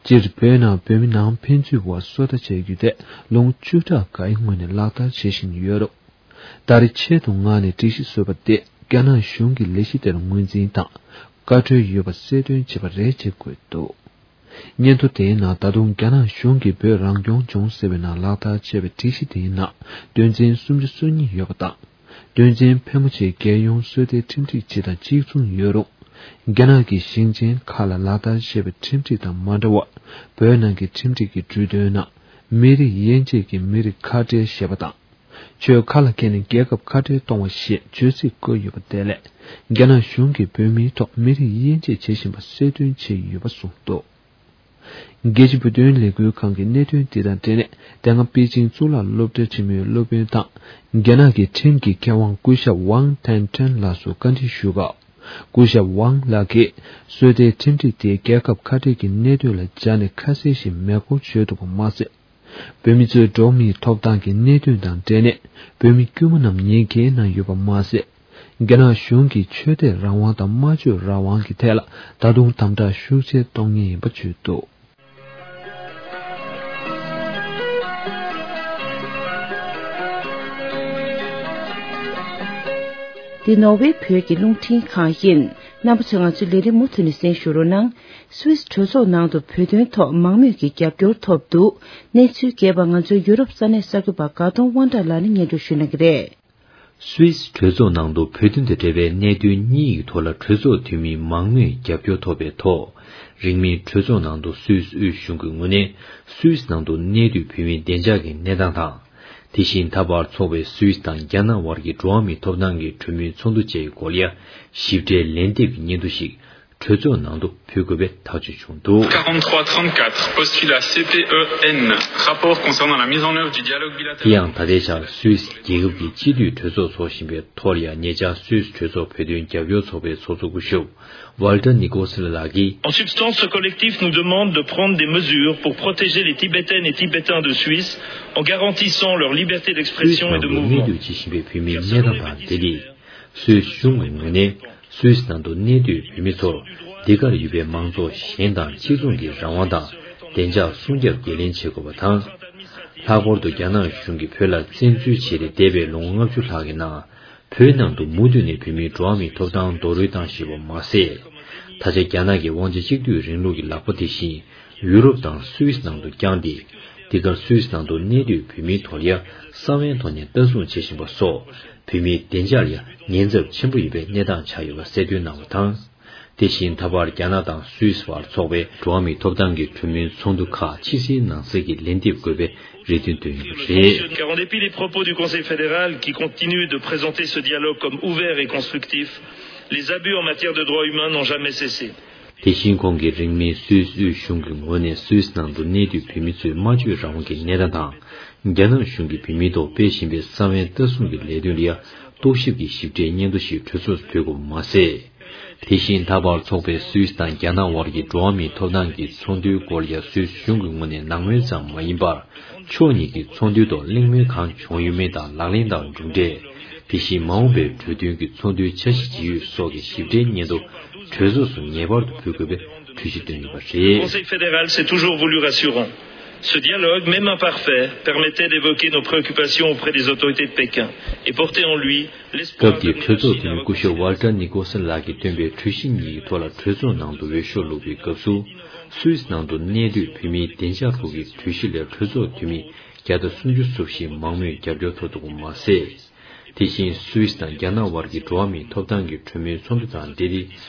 སྤྱིར་བོད་ནང་བོད་མི་ནང་ཕན་ཚུན་བར་སོ་ལྟ་བྱེད་རྒྱུ་དེ་ལོ་ངོ་བཅུ་ཕྲག་འགའི་སྔོན་ནས་ལག་བསྟར་བྱེད་བཞིན་ཡོད་རུང་། ད་རེས་ཆེད་དུ་མངགས་ནས་སྒྲིག་གཞི་བཟོས་པ་དེ་རྒྱ་ནག་གཞུང་གིས་ལས་གཞི་དེར་ངོས་འཛིན་དང་བཀའ་འཁྲོལ་ཡོད་པ་གསལ་སྟོན་བྱས་པ་རེད་ཅེས་འཁོད་འདུག་སྙན་ཐོ་དེའི་ནང་ད་དུང་རྒྱ་ནག་གཞུང་གིས་བོད་རང་སྐྱོང་ལྗོངས་ཟེར་བའི་ནང་ལག་བསྟར་བྱས་པའི་སྒྲིག་གཞི་དེའི་ནང་དོན་ཚན་སུམ་ཅུ་སོ་གཉིས་ཡོད་པ་དང་། དོན་ཚན་ཕལ་མོ་ཆེ་རྒྱལ་ཡོངས་སོ་ལྟའི་ཁྲིམས་སྒྲིག་སྤྱི་དང་གཅིག་མཚུངས་ཡོད་རུང་། རྒྱ་ནག་གི་ཞིང་ཆེན་ཁག་ལ་ལག་བསྟར་བྱས་པའི་ཁྲིམས་སྒྲིག་དང་མ་འདྲ་བར། བོད་ནང་གི་ཁྲིམས་སྒྲིག་གི་འབྲུ་དོན་ནང་། མི་རིགས་དབྱེ་འབྱེད་ཀྱི་མི་རིགས་ཁ་བྲལ་ཞེས་པ་དང་། ཆོས་ཁ་ལ་འཁྱེར་ནས་རྒྱལ་ཁབ་ཁ་བྲལ་གཏོང་བ་ཞེས་བརྗོད་ཚིག་བཀོད་ཡོད་པ་དེ་ལས། རྒྱ་ནག་གཞུང་གིས་བོད་མིའི་ཐོག་མི་རིགས་དབྱེ་འབྱེད་བྱེད་བཞིན་པ་གསལ་སྟོན་བྱས་ཡོད་པ་གསུངས་འདུག་རྒྱལ་སྤྱི་བོད་དོན་ལས་འགུལ་ཁང་གི་གནད་དོན་དེ་དང་འབྲེལ་ནས། དེ་སྔ་པེ་ཅིང་གཙུག་ལག་སློབ་གྲྭ་ཆེན་མོའི་སློབ་དཔོན་དང་། རྒྱ་ནག་གི་ཁྲིམས་ཀྱི་མཁས་དབང་སྐུ་ཞབས་ཝང་ཐན་ཁྲེན་ལགས་སུ་བཀའ་འདྲི་ཞུས་སྐབས། སྐུ་ཞབས་ཝང་ལགས་ཀྱིས། སོ་ལྟའི་ཁྲིམས་སྒྲིག་དེ་རྒྱལ་ཁབ་ཁ་བྲལ་གྱི་གནད་དོན་ལ་སྦྱར་ནས་ཁ་གསལ་ཞིག་མེད་སྐོར་བརྗོད་འདུག་པ་མ་ཟད། བོད་མི་ཚོའི་འགྲོ་བ་མིའི་ཐོབ་ཐང་གི་གནད་དོན་དང་འབྲེལ་ནས། བོད་མི་དཀྱུས་མ་རྣམས་ཉེས་འགེལ་གནང་ཡོད་པ་མ་ཟད། རྒྱ་ནག་གཞུང་གིས་ཆོས་དད་རང་དབང་དང་སྨྲ་བརྗོད་རང་དབང་གི་ཐད་ལ་ད་དུང་དམ་དྲག་ཤུགས་ཆེ་གཏོང་མཁན་ཡིན་པ་བརྗོད་འདུག་འདི་ནོར་ཝེ་བོད་ཀྱི་རླུང་འཕྲིན་ཁང་ཡིན། རྣམ་པ་ཚོས་ང་ཚོའི་ལས་རིམ་མུ་མཐུད་ནས་གསན་ཞུ་རོགས་གནང་། སུད་སི་གྲོས་ཚོགས་ནང་དུ་བོད་དོན་ཐོག་མང་མོས་ཀྱི་རྒྱབ་སྐྱོར་ཐོབ་འདུག་གནས་ཚུལ་རྒྱས་པ་ང་ཚོའི་ཡུ་རོབ་ས་གནས་གསར་འགོད་པ་དགའ་གདོང་དབང་གྲགས་ལགས་ནས་སྙན་སྒྲོན་ཞུ་གནང་གི་རེད། སུད་སི་གྲོས་ཚོགས་ནང་དུ་བོད་དོན་དང་འབྲེལ་བའི་གནད་དོན་གཉིས་ཀྱི་ཐོག་ལ་གྲོས་ཚོགས་འཐུས་མིའི་མང་མོས་རྒྱབ་སྐྱོར་ཐོབ་པའི་ཐོག་རིང་མིན་གྲོས་ཚོགས་ནང་དུ་སུད་སི་དབུས་གཞུང་གི་ངོས་ནས་སུད་སི་ནང་དུ་གནས་སྡོད་བོད་མིའི་བདེ་འཇགས་ཀྱི་གནས་སྟངས་དང་། དེ་བཞིན་ད་བར་འཚོགས་པའི་སུད་སི་དང་རྒྱ་ནག་དབར་གྱི་འགྲོ་བ་མིའི་ཐོབ་ཐང་གི་གྲོས་མོལ་ཚོགས་འདུ་བཅས་ཀྱི་སྐོར་ལ་ཞིབ་ཕྲའི་ལན་འདེབས་ཀྱི་སྙན་ཐོ་ཞིག་གྲོས་ཚོགས་ནང་དུ་ཕུལ་དགོས་པའི་ཐག་གཅོད་བྱུང་འདུག། quarante-trois trente-quatre, postulat C P E N, rapport concernant la mise en œuvre du dialogue bilatéral. དེ་ཡང་ད་ལྟའི་ཆར་སུད་སི་རྒྱལ་ཁབ་ཀྱི་སྤྱི་འཐུས་གྲོས་ཚོགས་འཚོགས་བཞིན་པའི་ཐོག་ལ་ཡང་ཉེ་ཆར་སུད་སི་གྲོས་ཚོགས་བོད་དོན་རྒྱབ་སྐྱོར་ཚོགས་པའི་ཚོགས་གཙོ་སྐུ་ཞབས་Walter Nicols ལགས་ཀྱིས། En substance, ce collectif nous demande de prendre des mesures pour protéger les Tibétaines et Tibétains de Suisse en garantissant leur liberté d'expression et de mouvement. སུད་སི་ནང་དུ་གནས་སྡོད་བྱེད་བཞིན་པའི་བོད་མིའི་གནས་སྟངས་དང་འབྲེལ་ཏེ། སུད་སི་གཞུང་གི་ངོས་ནས་སུད་སི་ནང་དུ་གནས་སྡོད་བོད་མི་ཚོར་འདི་གར་ཡོད་པའི་མང་ཚོགས་གཞན་དང་གཅིག་མཚུངས་ཀྱི་རང་དབང་དང་བདེ་འཇགས་སྲུང་སྐྱོབ་འགན་ལེན་བྱེད་དགོས་པ་དང་། ལྷག་པར་དུ་རྒྱ་ནག་གཞུང་གིས་བོད་ལ་བཙན་འཛུལ་བྱས་ཏེ་འདས་པའི་ལོ་ངོ་ལྔ་བཅུ་ལྷག་གི་ནང་། བོད་ནང་དུ་མུ་མཐུད་ནས་བོད་མིའི་འགྲོ་བ་མིའི་ཐོབ་ཐང་རྡོག་རོལ་བཏང་བཞིན་པ་མ་ཟད། ད་ཆ་རྒྱ་ནག་གི་དབང་ཆ་གཅིག་སྡུད་རིང་ལུགས་ཀྱི་ལག་པ་དེ་བཞིན་ཡུ་རོབ་དང་སུད་སི་ནང་དུ་བརྐྱངས་ཏེ། འདི་གར་སུད་སི་ནང་དུ་གནས་སྡོད་བོད་མིའི་ཐོག་ལ་ཡང་གསང་བའི་ཐོག་ནས་ལྟ་སྲུང་བྱེད་བཞིན་པ་སོགས་བོད་མིའི་བདེ་འཇགས་ལ་ཡང་ཉེན་ཚབས་ཆེན་པོ་ཡོད་པའི་གནས་སྟངས་ཆགས་ཡོད་པ་གསལ་སྟོན་གནང་བ་དང་། དེ་བཞིན་ད་བར་རྒྱ་ནག་དང་སུད་སི་བར་འཚོགས་པའི་འགྲོ་བ་མིའི་ཐོབ་ཐང་གི་གྲོས་མོལ་ཚོགས་འདུ་ཁག་ཕྱི་ཟླའི་ནང་གསེས་ཀྱི་ལན་འདེབས་དགོས་པའི་རེ་འདུན་བཏོན་ཡོད་པ་རེད། Car en dépit des propos du Conseil fédéral qui continue de présenter ce dialogue comme ouvert et constructif, les abus en matière de droits humains n'ont jamais cessé. དེ་བཞིན་ཁོང་གིས་རིང་མིན་སུད་སི་དབུས་གཞུང་གི་ངོས་ནས་སུད་སི་ནང་དུ་གནས་སྡོད་བོད་མི་ཚོའི་སྨྲ་བརྗོད་རང་དབང་གི་གནས་སྟངས་དང་། རྒྱ་ནག་གཞུང་གིས་བོད་མིའི་ཐོག་སྤེལ་བཞིན་པའི་ས་བོན་ལྟ་སྲུང་གི་ལས་དོན་ལ་ཡང་རྟོག་ཞིབ་ཀྱི་ཞིབ་ཕྲའི་སྙན་ཐོ་ཞིག་གྲོས་ཚོགས་སུ་ཕུལ་དགོས་པ་མ་ཟད། དེ་བཞིན་ད་བར་འཚོགས་པའི་སུད་སི་དང་རྒྱ་ནག་དབར་གྱི་འགྲོ་བ་མིའི་ཐོབ་ཐང་གི་ཚོགས་འདུའི་སྐོར་ལ་ཡང་སུད་སི་གཞུང་གི་ངོས་ནས་ནང་མོལ་ཙམ་མ་ཡིན་པར། ཕྱོགས་གཉིས་ཀྱི་ཚོགས་འདུའི་ཐོག་གླེང་མོལ་གང་བྱུང་ཡོད་མེད་དང་། ལག་ལེན་དང་གྲུབ་འབྲས། དེ་བཞིན་མ་འོངས་པའི་གྲོས་མཐུན་གྱི་ཚོགས་འདུའི་འཆར་གཞི་ཇི་ཡོད་སོགས་ཀྱི་ཞིབ་ཕྲའི་སྙན་ཐོ་གྲོས་ཚོགས་སུ་ངེས་པར་དུ་ཕུལ་དགོས་པའི་གྲོས་གཞི་བཏོན་ཡོད་པ་རེད། Le Conseil fédéral s'est toujours voulu rassurant. Ce dialogue, même imparfait, permettait d'évoquer nos préoccupations auprès des autorités de Pékin et porter en lui l'espoir d'un avenir. སྐབས་དེའི་གྲོས་ཚོགས་འཐུས་མི་སྐུ་ཞབས་ཝལ་ཏར་ནི་ཀོལ་སན་ལགས་ཀྱིས་བཏོན་པའི་གྲོས་གཞི་གཉིས་ཀྱི་ཐོག་ལ་གྲོས་ཚོགས་ནང་དུ་འོས་ཤོག་བླུགས་པའི་སྐབས་སུ། སུད་སི་ནང་དུ་གནས་སྡོད་བོད་མིའི་བདེ་འཇགས་སྐོར་གྱི་གྲོས་གཞི་ལ་གྲོས་ཚོགས་འཐུས་མི་བརྒྱ་དང་སུམ་ཅུ་སོ་བཞིས་མང་མོས་རྒྱབ་སྐྱོར་ཐོབ་འདུག་པ་མ་ཟད། དེ་བཞིན་སུད་སི་དང་རྒྱ་ནག་དབར་གྱི་འགྲོ་བ་མིའི་ཐོབ་ཐང་གི་གྲོས་མོལ་ཚོགས་འདུ་དང་འབྲེལ་ཏེ།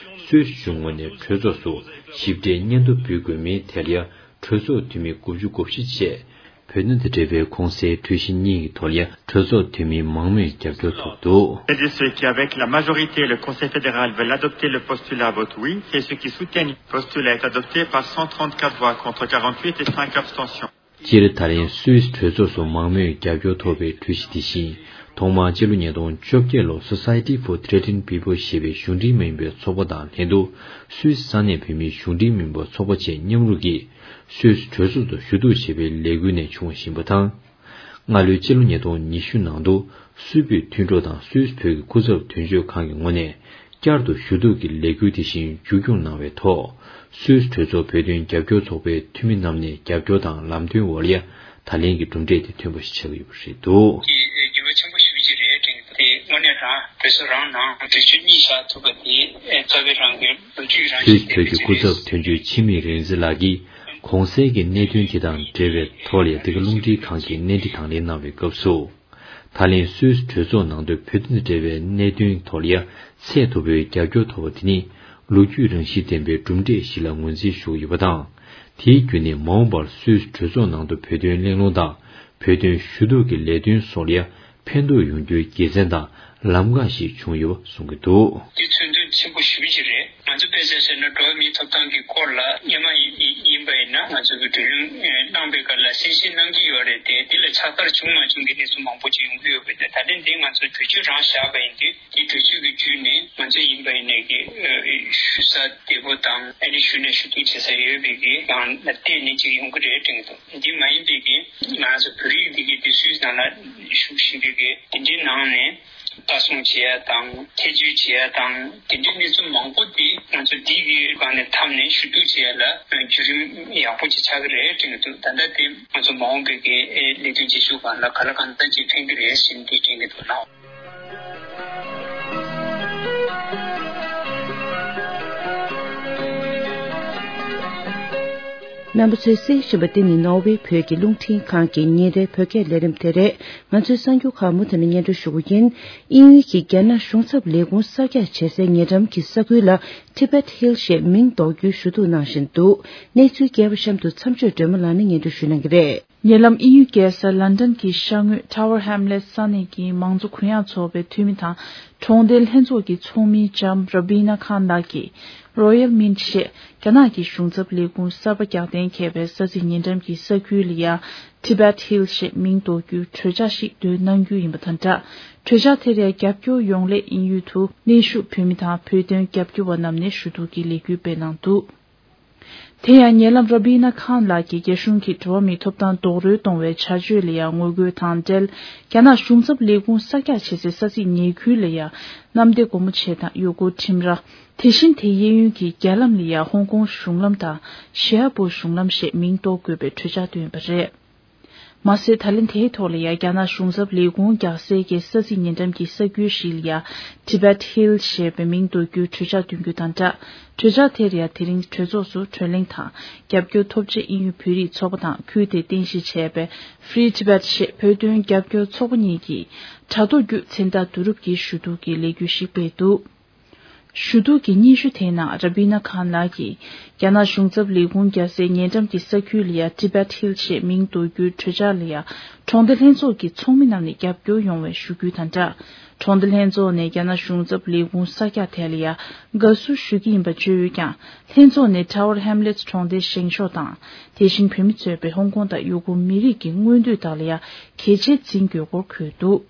སུད་སི་གཞུང་ངོས་ནས་གྲོས་ཚོགས་སུ་ཞིབ་ཕྲའི་སྙན་ཐོ་འབུལ་དགོས་མིན་ཐད་ལ་ཡང་གྲོས་ཚོགས་འཐུས་མི་དགུ་བཅུ་གོ་བཞི་བཅས་བོད་དོན་དང་འབྲེལ་བའི་གོང་གསལ་གྲོས་གཞི་གཉིས་ཀྱི་ཐོག་ལ་ཡང་གྲོས་ཚོགས་འཐུས་མིའི་མང་མོས་རྒྱབ་སྐྱོར་ཐོབ་འདུག། C'est de ceux qui, avec la majorité, le Conseil fédéral veut l'adopter, le postulat vote oui, et ceux qui soutiennent le postulat est adopté par cent trente-quatre voix contre quarante-huit et cinq abstentions. སྤྱིར་ད་ལན་སུད་སི་གྲོས་ཚོགས་སུ་མང་མོས་རྒྱབ་སྐྱོར་ཐོབ་པའི་གྲོས་གཞི་དེ་བཞིན། ཐོག་མར་སྤྱི་ལོ་ཉིས་སྟོང་བཅོ་བརྒྱད་ལོར་Society for Threatened People ཞེས་པའི་གཞུང་འབྲེལ་མ་ཡིན་པའི་ཚོགས་པ་དང་ལྷན་དུ་སུད་སི་ས་གནས་བོད་མིའི་གཞུང་འབྲེལ་མ་ཡིན་པའི་ཚོགས་པ་བཅས་མཉམ་རུབ་ཀྱིས་སུད་སི་གྲོས་ཚོགས་སུ་ཞུ་གཏུག་བྱས་པའི་ལས་འགུལ་ནས་བྱུང་བཞིན་པ་དང་། སྔ་ལོའི་སྤྱི་ལོ་ཉིས་སྟོང་ཉི་ཤུ་ནང་དུ་སུད་བོད་མཐུན་གྲོགས་དང་སུད་སི་བོད་ཀྱི་སྐུ་ཚབ་དོན་གཅོད་ཁང་གི་ངོས་ནས། བསྐྱར་དུ་ཞུ་གཏུག་གི་ལས་འགུལ་དེ་བཞིན་མཇུག་སྐྱོང་གནང་བའི་ཐོག་སུད་སི་གྲོས་ཚོགས་བོད་དོན་རྒྱབ་སྐྱོར་ཚོགས་པའི་འཐུས་མི་རྣམས་ནས་རྒྱབ་སྐྱོར་དང་ལམ་སྟོན་འོག་ལ་ཡ་ད་ལན་གྱི་གྲུབ་འབྲས་དེ་ཐོན་པ་ཞིག་ཆགས་ཀྱི་ཡོད་པ་རེད་འདུག། འགྱུར་བ་ཆེན་པོ་ཞེ་པོ་ཅིག་རེད་དྲན་གྱི་འདུག། དེ་དངོས་གནས་རང་གྲོས་ཚོགས་རང་ནང་གྲོས་ཆོད་གཉིས་བཞག་ཐུབ་པ་དེ་རྩ་བའི་རང་གི་ལོ་རྒྱུས་རང་སུད་སི་བོད་ཀྱི་སྐུ་ཚབ་དོན་གཅོད་འཆི་མེད་རིག་འཛིན་ལགས་ཀྱིས་གོང་གསལ་གྱི་གནད་དོན་དེ་དང་འབྲེལ་བའི་ཐོག་ལ་ཡ་འདི་ག་རླུང་འཕྲིན་ཁང་གིས་གནས་འདྲི་དང་ལེན་གནང་བའི་སྐབས་སུ། ད་ལན་སུད་སི་གྲོས་ཚོགས་ནང་དུ་བོད་དོན་དང་འབྲེལ་བའི་གནད་དོན་ཐོག་ལ་ཡ་ཚད་མཐོ་པོའི་རྒྱབ་སྐྱོར་ཐོབ་པ་དེ་ནི་ལོ་རྒྱུས་རང་བཞིན་ལྡན་པའི་གྲུབ་འབྲས་ཤིག་ལ་ངོས་འཛིན་ཞུ་གི་ཡོད་པ་དང་། དེའི་བརྒྱུད་ནས་མ་འོངས་པར་སུད་སི་གྲོས་ཚོགས་ནང་དུ་བོད་དོན་གླེང་སློང་དང་བོད་དོན་ཞུ་གཏུག་གི་ལས་དོན་སོགས་ལ་ཡ་ཕན་ཐོགས་ཡོང་རྒྱུའི་དགེ་མཚན་དང་ལམ་ཁ་ཞིག་བྱུང་ཡོད་པ་གསུང་གི་འདུག། འདི་མཚོན་དོན་ཆེན་པོ་ཞེ་པོ་ཅིག་རེད། ང་ཚོ་དཔེ་ཆ་བཞག་ན་འགྲོ་བ་མིའི་ཐོབ་ཐང་གི་སྐོར་ལ་སྔོན་མ་ཡིན་པ་ཡིན་ན་ང་ཚོ་གི་བགྲོ་གླེང་གནང་པའི་སྐབས་ལ་གསལ་བཤད་གནང་གི་ཡོད་རེད་དེ། འདི་ལ་ཕྱག་བསྟར་བྱུང་མ་བྱུང་གི་གནས་ཚུལ་མང་པོ་ཅིག་ཡོང་གི་ཡོད་པས། ད་ལན་འདི་ང་ཚོ་གྲོས་ཆོད་རང་བཞག་པ་ཡིན་དུས་འདི་གྲོས་ཆོད་ཀྱི་བརྒྱུད་ནས་ང་ཚོ་ཡིན་པ་ཡིན་ནའི་གི་ཞུ་ས་བདེ་པོ་དང་ཨ་ནི་ཞུ་ནས་ཞུ་གཏུག་བྱེད་ས་ཡོད་པའི་གི་ཡང་ལ་བརྟེན་ནས་ཅིག་ཡོང་གི་རེད་དྲན་གི་འདུག། འདི་མ་ཡིན་པའི་གི་ང་ཚོ་བོད་རིགས་འདི་གི་དེ་སུད་སི་ནང་ལ་བཞུགས་བཞིན་པའི་གི་དེ་འདྲའི་ནང་ནས། ལྟ་སྲུང་བྱེད་ཡ་དང་ཐེ་བྱུས་བྱེད་ཡ་དང་དེ་འདྲའི་གནས་ཚུལ་མང་པོ་དེ་ང་ཚོ་འདི་གི་སྒང་ནས་འཐམས་ནས་ཞུ་གཏུག་བྱེད་ཡ་ལ་བརྒྱུད་རིམ་ཡག་པོ་ཅིག་ཆགས་ཀྱི་རེད་དྲན་གྱི་འདུག། ད་ལྟ་དེ་ང་ཚོ་མ་འོངས་པའི་གི་ལས་དོན་བྱེད་ཕྱོགས་སྒང་ལ་ག་ལ་གང་འཚམ་ཅིག་ཕན་གྱི་རེད་ཟེར་ནས་འདི་དྲན་གྱི་འདུག་ལགས། རྣམ་པ་ཚོས་གསན་བཞིན་པ་འདི་ནི་ནོར་ཝེ་བོད་ཀྱི་རླུང་འཕྲིན་ཁང་གི་ཉིན་རེའི་བོད་སྐད་ལས་རིམ་དེ་རེད། ང་ཚོའི་གསར་འགྱུར་ཁག་མུ་མཐུད་ནས་སྙན་སྒྲོན་ཞུ་རྒྱུ་ཡིན། དབྱིན་ཡུལ་གྱིས་རྒྱ་ནག་གཞུང་ཚབ་ལས་ཁུངས་གསར་རྒྱག་བྱེད་སའི་ཉེ་འགྲམ་གྱི་ས་ཁུལ་ལ་Tibet Hill ཞེས་མིང་འདོགས་རྒྱུའི་ཞུ་གཏུག་གནང་བཞིན་འདུག། གནས་ཚུལ་རྒྱས་པ་གཤམ་དུ་མཚམས་གཅོད་སྒྲོལ་མ་ལགས་ནས་སྙན་སྒྲོན་ཞུ་གནང་གི་རེད། ཉེ་ལམ་དབྱིན་ཡུལ་རྒྱལ་ས་ལན་ཌན་གྱི་ཤར་ངོས་Tower Hamlets ས་གནས་ཀྱི་མང་གཙོ་གུ་ཡངས་ཚོགས་པའི་འཐུས་མི་དང་གྲོང་སྡེ་ལྷན་ཚོགས་ཀྱི་ཚོགས་མི་ལྕམ་Rabina Khan ལགས་ཀྱིས་Royal Mint ཞེས་རྒྱ་ནག་གི་གཞུང་ཚབ་ལས་ཁུངས་གསར་པ་རྒྱག་གཏན་འཁེལ་བའི་ས་ཚིགས་ཉེ་འགྲམ་གྱི་ས་ཁུལ་ལ་ཡ་Tibet Hill ཞེས་མིང་འདོགས་རྒྱུའི་གྲོས་འཆར་ཞིག་འདོན་གནང་རྒྱུ་ཡིན་པ་དང་སྦྲགས། གྲོས་འཆར་དེར་ཡང་རྒྱབ་སྐྱོར་ཡོང་སླད་དབྱིན་ཡུལ་དུ་གནས་བཞུགས་བོད་མི་དང་བོད་དོན་རྒྱབ་སྐྱོར་བ་རྣམས་ནས་ཞུ་གཏུག་གི་ལས་འགུལ་སྤེལ་གནང་འདུག། དེ་ཡང་ཉེ་ལམ་Rabina Khan ལགས་ཀྱིས་རྒྱ་གཞུང་གིས་འགྲོ་བ་མིའི་ཐོབ་ཐང་རྡོག་རོལ་གཏོང་བའི་བྱ་སྤྱོད་ལ་ཡང་ངོ་རྒོལ་དང་འབྲེལ། རྒྱ་ནག་གཞུང་ཚབ་ལས་ཁུངས་གསར་རྒྱག་བྱེད་སའི་ས་ཚིགས་ཉེ་ཁུལ་ལ་ཡང་གནམ་བདེ་སྒོ་མོ་ཆེ་དང་ཡུལ་སྐོར་ཁྲིམས་ར། དེ་བཞིན་དེའི་གཡས་གཡོན་གྱི་རྒྱ་ལམ་ལ་ཡང་ཧོང་ཀོང་གཞུང་ལམ་དང་ཞི་ཧ་པུར་གཞུང་ལམ་ཞེས་མིང་འདོགས་དགོས་པའི་གྲོས་འཆར་བཏོན་ཡོད་པ་རེད། མ་ཟད། ད་ལན་དེའི་ཐོག་ལ་ཡང་རྒྱ་ནག་གཞུང་ཚབ་ལས་ཁུངས་རྒྱག་སའི་གི་ས་ཚིགས་ཉེ་འགྲམ་གྱི་ས་ཁུལ་ཞིག་ལ་ཡང་Tibet Hill ཞེས་པའི་མིང་འདོགས་རྒྱུའི་གྲོས་འཆར་བཏོན་རྒྱུ་དང་སྦྲགས། གྲོས་འཆར་དེར་ཡང་དེ་རིང་གྲོས་ཚོགས་སུ་གྲོས་གླེང་དང་རྒྱབ་སྐྱོར་ཐོབ་ཆེད་དབྱིན་ཡུལ་བོད་རིགས་ཚོགས་པ་དང་ཁུལ་དེ་རྟེན་གཞི་བྱས་པའི་Free Tibet ཞེས་བོད་དོན་རྒྱབ་སྐྱོར་ཚོགས་པ་གཉིས་ཀྱིས་དྲ་ཐོག་བརྒྱུད་མཚན་རྟགས་བསྡུ་རུབ་ཀྱིས་ཞུ་གཏུག་གི་ལས་འགུལ་ཞིག་སྤེལ་འདུག། ཞུ་གཏུག་གི་སྙན་ཞུ་དེའི་ནང་ར་བི་ན་ཁཱན་ལགས་ཀྱིས། རྒྱ་ནག་གཞུང་ཚབ་ལས་ཁུངས་རྒྱལ་སའི་ཉེ་འགྲམ་གྱི་ས་ཁུལ་ལ་ཡ་Tibet Hill ཞེས་མིང་འདོགས་རྒྱུའི་གྲོས་འཆར་ལ་ཡ་གྲོང་སྡེ་ལྷན་ཚོགས་ཀྱི་ཚོགས་མི་རྣམས་ནས་རྒྱབ་སྐྱོར་ཡོང་བའི་ཞུ་སྐུལ་དང་སྦྲགས། གྲོང་སྡེ་ལྷན་ཚོགས་ནས་རྒྱ་ནག་གཞུང་ཚབ་ལས་ཁུངས་གསར་རྒྱག་དེ་ལ་ཡ་དགའ་བསུ་ཞུ་གི་ཡིན་པ་བརྗོད་ཡོད་ཀྱང་། ལྷན་ཚོགས་ནས་Tower Hamlets གྲོང་སྡེ་བཞེངས་ཕྱོགས་དང་། དེ་བཞིན་བོད་མི་གཙོས་པའི་ཧོང་ཀོང་དང་ཡུ་གུར་མི་རིགས་ཀྱི་མངོན་འདོད་དག་ལ་ཡ་གལ་ཆེར་འཛིན་དགོས་སྐོར་འཁོད་འདུག་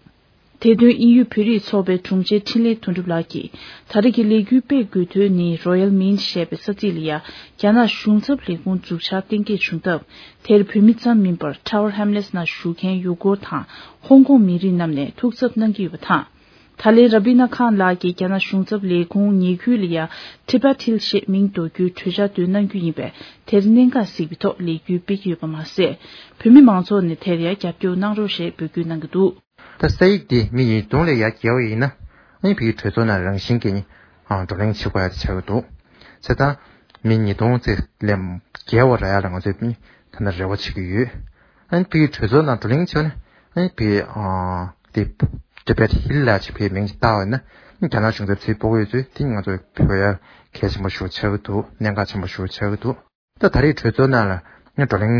དེ་དོན་དབྱིན་ཡུལ་བོད་རིགས་ཚོགས་པའི་དྲུང་ཆེ་འཕྲིན་ལས་དོན་གྲུབ་ལགས་ཀྱིས། ད་རེས་ཀྱི་ལས་འགུལ་སྤེལ་དགོས་དོན་ནི་Royal Mint ཞེས་པའི་ས་ཚིགས་ལ་ཡ་རྒྱ་ནག་གཞུང་ཚབ་ལས་ཁུངས་འཛུགས་འཆར་གཏན་འཁེལ་བྱུང་སྟབས། དེར་བོད་མི་ཙམ་མིན་པར་Tower Hamlets ནང་བཞུགས་མཁན་ཡུ་གུར་དང་ཧོང་ཀོང་མི་རིགས་རྣམས་ནས་ཐུགས་འཚབ་གནང་གི་ཡོད་པ་དང་། ད་ལན་ར་བི་ན་ཁཱན་ལགས་ཀྱིས་རྒྱ་ནག་གཞུང་ཚབ་ལས་ཁུངས་ཉེ་ཁུལ་ལ་ཡ་Tibet Hill ཞེས་མིང་འདོགས་རྒྱུའི་གྲོས་འཆར་འདོན་གནང་རྒྱུ་ཡིན་པས། དེར་གནད་འགག་གཟིགས་པའི་ཐོག་ལས་འགུལ་སྤེལ་གྱི་ཡོད་པ་མ་ཟད། བོད་མི་མང་ཚོགས་ནས་དེར་ཡང་རྒྱབ་སྐྱོར་གནང་རོགས་ཞེས་འབོད་སྐུལ་གནང་གི་འདུག་ད་ས་ཡིག་འདི་མི་ཉིས་སྟོང་ལས་ཡར་བརྒལ་བ་ཡིན་ན། ཨ་ནི་བོད་ཀྱི་གྲོས་ཚོགས་ནང་རང་བཞིན་གྱིས་ནི་ཨ་བགྲོ་གླེང་བྱེད་དགོས་ཡ་དེ་ཆགས་ཀྱི་འདུག་བྱས་ཙང་མི་ཉིས་སྟོང་ཙམ་ལས་བརྒལ་བ་རག་ཡ་ལ་ང་ཚོས་ནི་ད་ནི་རེ་བ་བྱེད་ཀྱི་ཡོད། ཨ་ནི་བོད་ཀྱི་གྲོས་ཚོགས་ནང་བགྲོ་གླེང་བྱས་ནས་ཨ་ནི་བོད་ཨ་དེ་Tibet Hill ལ་ཅིག་བོད་མིང་ཅིག་བཏགས་པ་ཡིན་ན། རྒྱ་ནག་གཞུང་ཚབ་ཚུར་སྤོ་གི་ཡོད་ཚུལ་དེ་ང་ཚོས་བོད་ཡ་གལ་ཆེན་པོ་ཞིག་ཆགས་ཀྱི་འདུག་གནད་འགག་ཆེན་པོ་ཞིག་ཆགས་ཀྱི་འདུག་ད་ད་རེས་གྲོས་ཚོགས་ནང་ལ་ནི་བགྲོ་གླེང་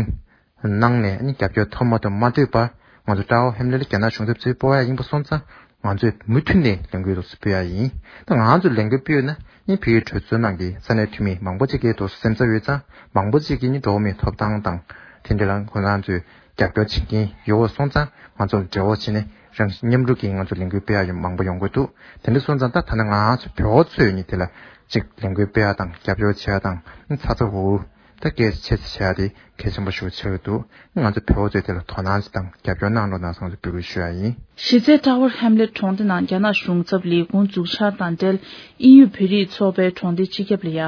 གནང་ནས་ནི་རྒྱབ་སྐྱོར་ཐོབ་མ་ཐོབ་མ་ལྟོས་པར། ང་ཚོ་Tower Hamlets ལ་རྒྱ་ནག་གཞུང་ཚབ་ཚུར་སྤོ་ཡ་ཡིན་པ་སོང་ཙང་། ང་ཚོས་མུ་མཐུད་ནས་ལས་འགུལ་སྤེལ་ཡ་ཡིན། ད་ང་ཚོས་ལས་འགུལ་སྤེལ་ཡོད་ན་ནི་བོད་ཀྱི་གྲོས་ཚོགས་ནང་གི་ས་གནས་འཐུས་མི་མང་པོ་ཅིག་གིས་དོ་སེམས་འཚབ་ཡོད་ཙང་། མང་པོ་ཅིག་གིས་ནི་འགྲོ་བ་མིའི་ཐོབ་ཐང་དང་དེ་འདྲ་ལ་ཁོ་རང་ཚོས་རྒྱབ་སྐྱོར་བྱེད་ཀྱིན་ཡོད་པ་སོང་ཙང་། ང་ཚོ་ལ་འབྲེལ་བ་བྱས་ནས་རང་མཉམ་རུབ་ཀྱིས་ང་ཚོ་ལས་འགུལ་སྤེལ་ཡ་ཡོད་མང་པོ་ཡོང་གི་འདུག་དེ་འདྲ་སོང་ཙང་ད་ད་ནི་ང་ཚོ་བོད་པ་ཚོས་ནི་དེ་ལ་ཅིག་ལས་འགུལ་སྤེལ་ཡ་དང་རྒྱབ་སྐྱོར་བྱེད་ཡ་དང་ཚ་ཚ་འུར་འུར་ད་སྐད་ཆེ་ཙམ་བྱེད་ཡ་དེ་གལ་ཆེན་པོ་ཞིག་ཆགས་ཀྱི་འདུག་ང་ཚོ་བོད་པ་ཚོས་དེ་ལ་དོ་སྣང་ཅིག་དང་རྒྱབ་སྐྱོར་གནང་རོགས་གནང་ཟེར་ང་ཚོས་འབོད་སྐུལ་ཞུ་ཡ་ཡིན། གཞི་རྩའི་Tower Hamlets གྲོང་སྡེ་ནང་རྒྱ་ནག་གཞུང་ཚབ་ལས་ཁུངས་འཛུགས་འཆར་དང་འབྲེལ། དབྱིན་ཡུལ་བོད་རིགས་ཚོགས་པའི་གྲོང་སྡེ་སྤྱི་ཁྱབ་ལ་ཡ་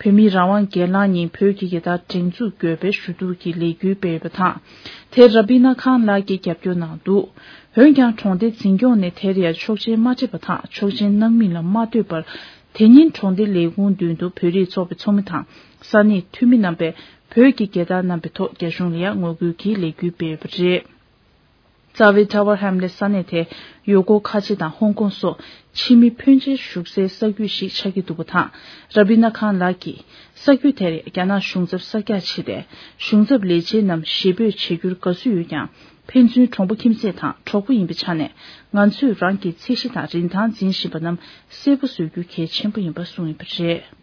བོད་མིའི་རང་དབང་སྒེར་ལངས་ཉིན་བོད་ཀྱི་རྒྱལ་དར་སྒྲེང་འཛུགས་དགོས་པའི་ཞུ་གཏུག་གི་ལས་འགུལ་སྤེལ་ཡོད་པ་དང་། དེར་ར་བི་ན་ཁཱན་ལགས་ཀྱིས་རྒྱབ་སྐྱོར་གནང་འདུག་འོན་ཀྱང་། གྲོང་སྡེ་འཛིན་སྐྱོང་ནས་དེར་ཡ་ཆོག་མཆན་མ་སྤྲད་པ་དང་། ཆོག་མཆན་གནང་མིན་ལ་མ་ལྟོས་པར། དེ་ཉིན་གྲོང་སྡེ་ལས་ཁུངས་མདུན་དུ་བོད་རིགས་ཚོགས་པའི་ཚོགས་མི་དང་ས་གནས་འཐུས་མི་རྣམ་པས་བོད་ཀྱི་རྒྱལ་དར་བསྣམས་པའི་ཐོག་རྒྱ་གཞུང་ལ་ཡ་ངོ་རྒོལ་གྱི་ལས་འགུལ་སྤེལ་ཡོད་པ་རེད། རྩ་བའི་Tower Hamlets ས་གནས་དེ་ཡུ་གུར་ཁ་ཆེ་དང་ཧོང་ཀོང་སོགས་ཕྱི་མི་ཕོན་ཆེ་བཞུགས་སའི་ས་ཁུལ་ཞིག་ཆགས་ཀྱི་འདུག་པ་དང་། ར་བི་ན་ཁཱན་ལགས་ཀྱིས་ས་ཁུལ་དེར་རྒྱ་ནག་གཞུང་ཚབ་གསར་རྒྱག་བྱས་ཏེ། གཞུང་ཚབ་ལས་བྱེད་རྣམས་ཞེ་འབོད་བྱེད་རྒྱུར་དགའ་བསུ་ཡོད་ཀྱང་། ཕན་ཚུན་གྲོང་པ་ཁྱིམ་མཚེས་དང་གྲོགས་པོ་ཡིན་པའི་ཆ་ནས། ང་ཚོས་རང་གི་ཚད་གཞི་དང་རིན་ཐང་འཛིན་བཞིན་པ་རྣམས་གསལ་པོ་བཟོ་རྒྱུ་གལ་ཆེན་པོ་ཡིན་པ་གསུངས་ཡོད་པ་རེད།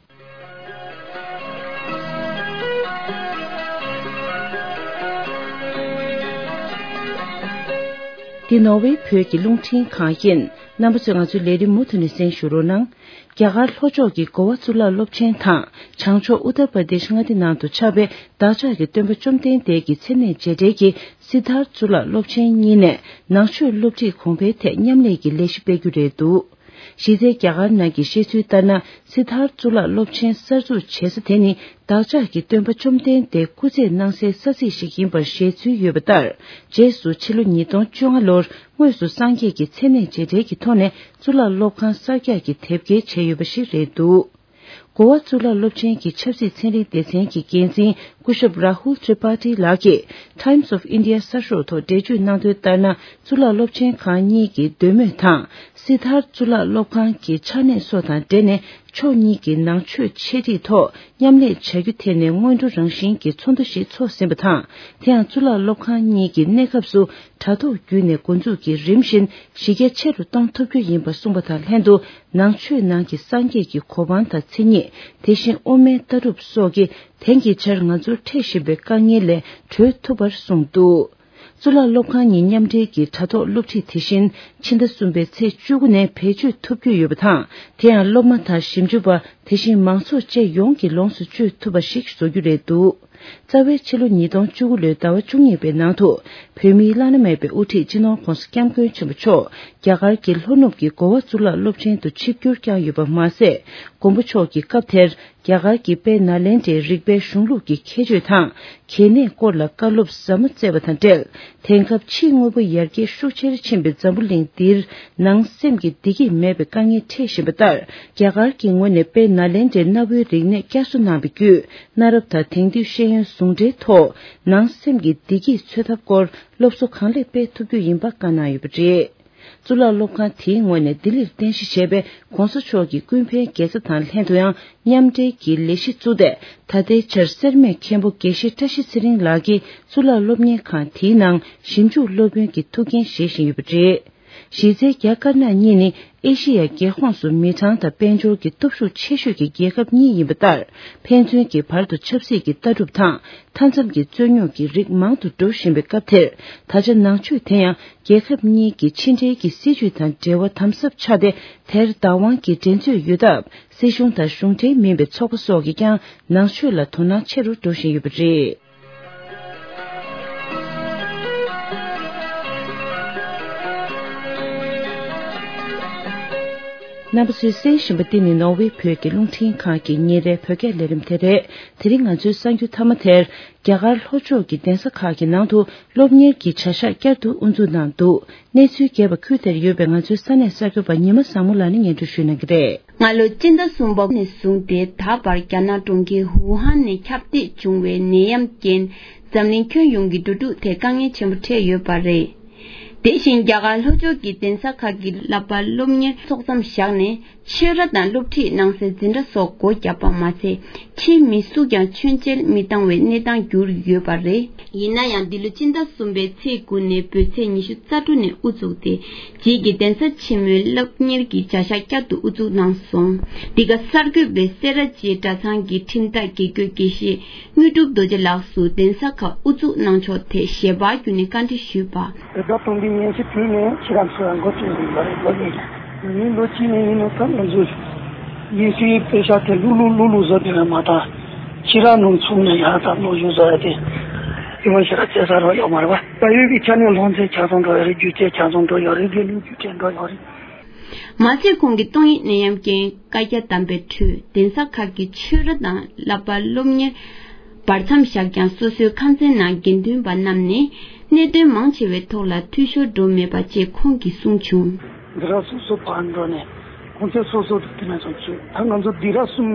འདི་ནོར་ཝེ་བོད་ཀྱི་རླུང་འཕྲིན་ཁང་ཡིན། རྣམ་པ་ཚོས་ང་ཚོའི་ལས་རིམ་མུ་མཐུད་ནས་གསན་ཞུ་རོགས་གནང་། རྒྱ་གར་ལྷོ་ཕྱོགས་ཀྱི་གོ་བ་གཙུག་ལག་སློབ་ཆེན་དང་། བྱང་ཕྱོགས་ཨུ་ཏར་པར་དེཤ་མངའ་སྡེ་ནང་དུ་ཆགས་པའི་བདག་ཅག་གི་སྟོན་པ་བཅོམ་ལྡན་འདས་ཀྱི་མཚན་གནས་རྗེས་དྲན་གྱི་སིདྡྷཱརྠ་གཙུག་ལག་སློབ་ཆེན་གཉིས་ནས་ནང་ཆོས་སློབ་ཁྲིད་གོང་འཕེལ་ཐད་མཉམ་ལས་ཀྱི་ལས་གཞི་སྤེལ་རྒྱུ་རེད་འདུག་གཞི་རྩའི་རྒྱ་གར་ནང་གི་བཤད་ཚུལ་ལྟར་ན། སིདྡྷཱརྠ་གཙུག་ལག་སློབ་ཆེན་གསར་འཛུགས་བྱེད་ས་དེ་ནི་བདག་ཅག་གི་སྟོན་པ་བཅོམ་ལྡན་འདས་སྐུ་ཚེ་གནང་སའི་ས་ཚིགས་ཤིག་ཡིན་པར་བཞེད་ཚུལ་ཡོད་པ་ལྟར། རྗེས་སུ་ཕྱི་ལོ་ཉིས་སྟོང་བཅོ་ལྔ་ལོར་དངོས་སུ་སངས་རྒྱས་ཀྱི་མཚན་གནས་རྗེས་དྲན་གྱི་ཐོག་ནས་གཙུག་ལག་སློབ་ཁང་གསར་རྒྱག་གི་དེབ་སྐྱེལ་བྱས་ཡོད་པ་ཞིག་རེད་འདུག་གོ་བ་གཙུག་ལག་སློབ་ཆེན་གྱི་ཆབ་སྲིད་ཚན་རིག་སྡེ་ཚན་གྱི་འགན་འཛིན་སྐུ་ཞབས་Rahul Tripathi ལགས་ཀྱིས་Times of India གསར་ཤོག་ཐོག་འགྲེལ་བརྗོད་གནང་དོན་ལྟར་ན། གཙུག་ལག་སློབ་ཆེན་ཁང་གཉིས་ཀྱི་འདོད་མོས་དང་། སིདྡྷཱརྠ་གཙུག་ལག་སློབ་ཁང་གི་ཆ་གནས་སོགས་དང་འབྲེལ་ནས། ཕྱོགས་གཉིས་ཀྱི་ནང་ཆོས་འཆད་ཁྲིད་ཐོག་མཉམ་ལས་བྱ་རྒྱུ་དེ་ནི་སྔོན་འགྲོ་རང་བཞིན་གྱི་ཚོགས་འདུ་ཞིག་ཚོགས་ཟིན་པ་དང་། དེ་ཡང་གཙུག་ལག་སློབ་ཁང་གཉིས་ཀྱི་གནས་སྐབས་སུ་དྲ་ཐོག་བརྒྱུད་ནས་འགོ་འཛུགས་ཀྱིས་རིམ་བཞིན་གཞི་རྒྱ་ཆེ་རུ་གཏོང་ཐུབ་རྒྱུ་ཡིན་པ་གསུངས་པ་དང་ལྷན་དུ། ནང་ཆོས་ནང་གི་སངས་རྒྱས་ཀྱི་གོ་འཕང་དང་མཚན་ཉིད། དེ་བཞིན་དབུ་མའི་ལྟ་གྲུབ་སོགས་ཀྱིས་དེང་གི་ཆར་ང་ཚོར་འཕྲད་བཞིན་པའི་དཀའ་ངལ་ལས་གྲོལ་ཐུབ་པར་གསུངས་འདུག་གཙུག་ལག་སློབ་ཁང་གཉིས་མཉམ་འབྲེལ་གྱི་དྲ་ཐོག་སློབ་ཁྲིད་དེ་བཞིན་ཕྱི་ཟླ་གསུམ་པའི་ཚེས་བཅུ་དགུ་ནས་བེད་སྤྱོད་ཐུབ་རྒྱུ་ཡོད་པ་དང་། དེ་ཡང་སློབ་མ་དང་ཞིབ་འཇུག་པ། དེ་བཞིན་མང་ཚོགས་བཅས་ཡོངས་ཀྱིས་ལོངས་སུ་སྤྱོད་ཐུབ་པ་ཞིག་བཟོ་རྒྱུ་རེད་འདུག་རྩ་བའི་ཕྱི་ལོ་ཉིས་སྟོང་བཅུ་དགུ་ལོའི་ཟླ་བ་བཅུ་གཉིས་པའི་ནང་དུ། བོད་མིའི་བླ་ན་མེད་པའི་དབུ་ཁྲིད་སྤྱི་ནོར་༧གོང་ས་༧སྐྱབས་མགོན་ཆེན་པོ་མཆོག་རྒྱ་གར་གྱི་ལྷོ་ནུབ་ཀྱི་གོ་བ་གཙུག་ལག་སློབ་ཆེན་དུ་ཆིབས་བསྒྱུར་བསྐྱངས་ཡོད་པ་མ་ཟད། མགོན་པོ་མཆོག་གིས་སྐབས་དེར། རྒྱ་གར་གྱི་དཔལ་ནཱ་ལེནྡྲའི་རིག་པའི་གཞུང་ལུགས་ཀྱི་ཁྱད་ཆོས་དང་། གལ་གནད་སྐོར་ལ་བཀའ་སློབ་ཟབ་མོ་སྩལ་བ་དང་འབྲེལ། དེང་སྐབས་ཕྱིའི་དངོས་པོ་ཡར་རྒྱས་ཤུགས་ཆེར་ཕྱིན་པའི་འཛམ་བུ་གླིང་འདིར། ནང་སེམས་ཀྱི་བདེ་སྐྱིད་མེད་པའི་དཀའ་ངལ་འཕྲད་བཞིན་པ་ལྟར། རྒྱ་གར་གྱི་ངོས་ནས་དཔལ་ནཱ་ལེནྡྲའི་གནའ་བོའི་རིག་གནས་བསྐྱར་གསོ་གནང་བའི་བརྒྱུད། གནའ་རབས་དང་དེང་དུས་ཤེས་ཡོན་ཟུང་འབྲེལ་ཐོག་ནང་སེམས་ཀྱི་བདེ་སྐྱིད་འཚོལ་ཐབས་སྐོར་སློབ་གསོ་གང་ལེགས་སྤེལ་ཐུབ་རྒྱུ་ཡིན་པ་བཀའ་གནང་ཡོད་པ་རེད། གཙུག་ལག་སློབ་ཁང་དེའི་ངོས་ནས་ལྡི་ལིར་རྟེན་གཞི་བྱས་པའི་གོང་ས་མཆོག་གི་ཀུན་ཕན་དགེ་རྩ་དང་ལྷན་དུ་ཡང་མཉམ་འབྲེལ་གྱི་ལས་གཞི་བཙུགས་ཏེ། ད་ལྟའི་ཆར་སེར་སྨད་མཁན་པོ་དགེ་བཤེས་བཀྲ་ཤིས་ཚེ་རིང་ལགས་ཀྱིས་གཙུག་ལག་སློབ་གཉེར་ཁང་དེའི་ནང་ཞིབ་འཇུག་སློབ་དཔོན་གྱི་ཐུགས་འགན་བཞེས་བཞིན་ཡོད་པ་རེད། གཞི་རྩའི་རྒྱ་དཀར་ནག་གཉིས་ནི་ཨེ་ཤེ་ཡ་རྒྱལ་ཁོངས་སུ་མི་གྲངས་དང་དཔལ་འབྱོར་གྱི་སྟོབས་ཤུགས་ཆེ་ཤོས་ཀྱི་རྒྱལ་ཁབ་གཉིས་ཡིན་པ་ལྟར། ཕན་ཚུན་གྱི་བར་དུ་ཆབ་སྲིད་ཀྱི་ལྟ་གྲུབ་དང་མཐའ་མཚམས་ཀྱི་རྩོད་རྙོག་གི་རིགས་མང་དུ་འགྲོ་བཞིན་པའི་སྐབས་དེར། ད་ཆ་ནང་ཆོས་དེ་ཡང་རྒྱལ་ཁབ་གཉིས་ཀྱི་ཕྱི་འབྲེལ་གྱི་སྲིད་ཇུས་དང་འབྲེལ་བ་དམ་ཟབ་ཆགས་ཏེ། དེར་བདག་དབང་གི་འགྲན་རྩོད་ཡོད་སྟབས། སྲིད་གཞུང་དང་གཞུང་འབྲེལ་མིན་པའི་ཚོགས་པ་སོགས་ཀྱིས་ཀྱང་ནང་ཆོས་ལ་དོ་སྣང་ཆེ་རུ་འགྲོ་བཞིན་ཡོད་པ་རེད། རྣམ་པ་ཚོས་གསན་བཞིན་པ་འདི་ནི་ནོར་ཝེ་བོད་ཀྱི་རླུང་འཕྲིན་ཁང་གི་ཉིན་རེའི་བོད་སྐད་ལས་རིམ་དེ་རེད། དེ་རིང་ང་ཚོའི་གསར་འགྱུར་མཐའ་མ་དེར། རྒྱ་གར་ལྷོ་ཕྱོགས་ཀྱི་གདན་ས་ཁག་གི་ནང་དུ་སློབ་གཉེར་གྱི་བྱ་གཞག་བསྐྱར་དུ་དབུ་འཛུགས་གནང་འདུག་གནས་ཚུལ་རྒྱས་པ་ཁུལ་དེར་ཡོད་པའི་ང་ཚོའི་ས་གནས་གསར་འགོད་པ་ཉི་མ་བཟང་མོ་ལགས་ནས་སྙན་སྒྲོན་ཞུ་གནང་གི་རེད། སྔ་ལོ་སྤྱི་ཟླ་གསུམ་པ་ནས་བཟུང་སྟེ་ད་བར་རྒྱ་ནག་གྲོང་ཁྱེར་ཝུ་ཧན་ནས་ཁྱབ་གདལ་བྱུང་བའི་ནད་ཡམས་རྐྱེན་འཛམ་གླིང་ཁྱོན་ཡོངས་ཀྱི་འགྲོ་འགྲུལ་ཐད་དཀའ་ངལ་ཆེན་པོ་འཕྲད་ཡོད་པ་རེད། དེ་བཞིན་རྒྱ་གར་ལྷོ་ཕྱོགས་ཀྱི་གདན་ས་ཁག་གི་བསླབ་པ་སློབ་གཉེར་ཚོགས་མཚམས་བཞག་ནས། ཆོས་ར་དང་སློབ་ཁྲིད་གནང་སའི་འཛིན་གྲྭ་སོགས་སྒོ་བརྒྱབ་པ་མ་ཚད། ཕྱིའི་མི་སུ་ཀྱང་མཆོད་མཇལ་མི་བཏང་བའི་གནས་སྟངས་གྱུར་ཡོད་པ་རེད། ཡིན་ན་ཡང་། འདི་ལོ་སྤྱི་ཟླ་གསུམ་པའི་ཚེས་དགུ་ནས་བོད་ཚེས་ཉི་ཤུ་རྩ་དྲུག་ནས་དབུ་བཙུགས་ཏེ། རྗེས་ཀྱི་གདན་ས་ཆེན་མོའི་སློབ་གཉེར་གྱི་བྱ་གཞག་བསྐྱར་དུ་དབུ་འཛུགས་གནང་སོང་། འདི་ག་གསར་འགོད་པས་སེ་ར་བྱེས་གྲྭ་ཚང་གི་ཁྲིམས་བདག་དགེ་བསྐོས་དགེ་བཤེས་དངོས་གྲུབ་རྡོ་རྗེ་ལགས་སུ་གདན་ས་ཁག་དབུ་འཛུགས་གནང་ཕྱོགས་ཐད་ཞལ་པར་བརྒྱུད་ནས་བཀའ་འདྲི་ཞུས་པ། དེ་དག་དང་འདི་ཉན་ཞིབ་བྱས་ནས་ཕྱི་རབས་སུ་འགོ་ཁྲིད་འདི་ལ་འགོ་ཁྲིད་ཡིན་ལོ་གཅིག་ནས་ཡིན་ནོ་ད་ང་ཚོས་ཡིན་སྲིད་པེ་ཤ་དེ་ལུག་ལུག་ལུག་ལུག་བཟོ་དེ་ལ་མ་ད་ཕྱི་རབས་ནང་ཚུགས་ནས་ཡང་ད་ལོ་ཡུན་བཟོ་ཡ་དེ་དེ་མ་ཤེས་ར་བྱེད་ས་རོ་ཡོད་མ་རེད་བ། ད་ཡོད་པའི་ཆ་ནས་ལྷུང་ཚེ་ཆ་ཚང་འགྲོ་ཡ་རེད། རྒྱུ་ཆ་ཆ་ཚང་འགྲོ་ཡ་རེད། དགེ་ལུགས་རྒྱུ་ཆ་འགྲོ་ཡ་རེད། མ་ཚད་ཁོང་གིས་ཏོག་དབྱིབས་ནད་ཡམས་རྐྱེན་བཀའ་རྒྱ་བསྡམས་པའི་ཁྲོད་གདན་ས་ཁག་གི་ཆོས་ར་དང་བསླབ་པ་སློབ་གཉེར་བར་མཚམས་བཞག་ཀྱང་སོ་སོའི་ཁང་ཚན་ནང་དགེ་འདུན་པ་རྣམས་ནས་གནད་དོན་མང་ཆེ་བའི་ཐོག་ལ་འཐུས་ཤོར་འགྲོ་མེད་པ་བཅས་ཁོང་གིས་གསུངས་བྱུང་། སྡེ་ར་སོ་སོ་བར་འགྲོ་ནས་ཁོང་ཚོས་སོ་སོ་དུ་དེ་ནས་ཚོ་བྱེད་ད་ང་ཚོ་སྡེ་ར་གསུམ་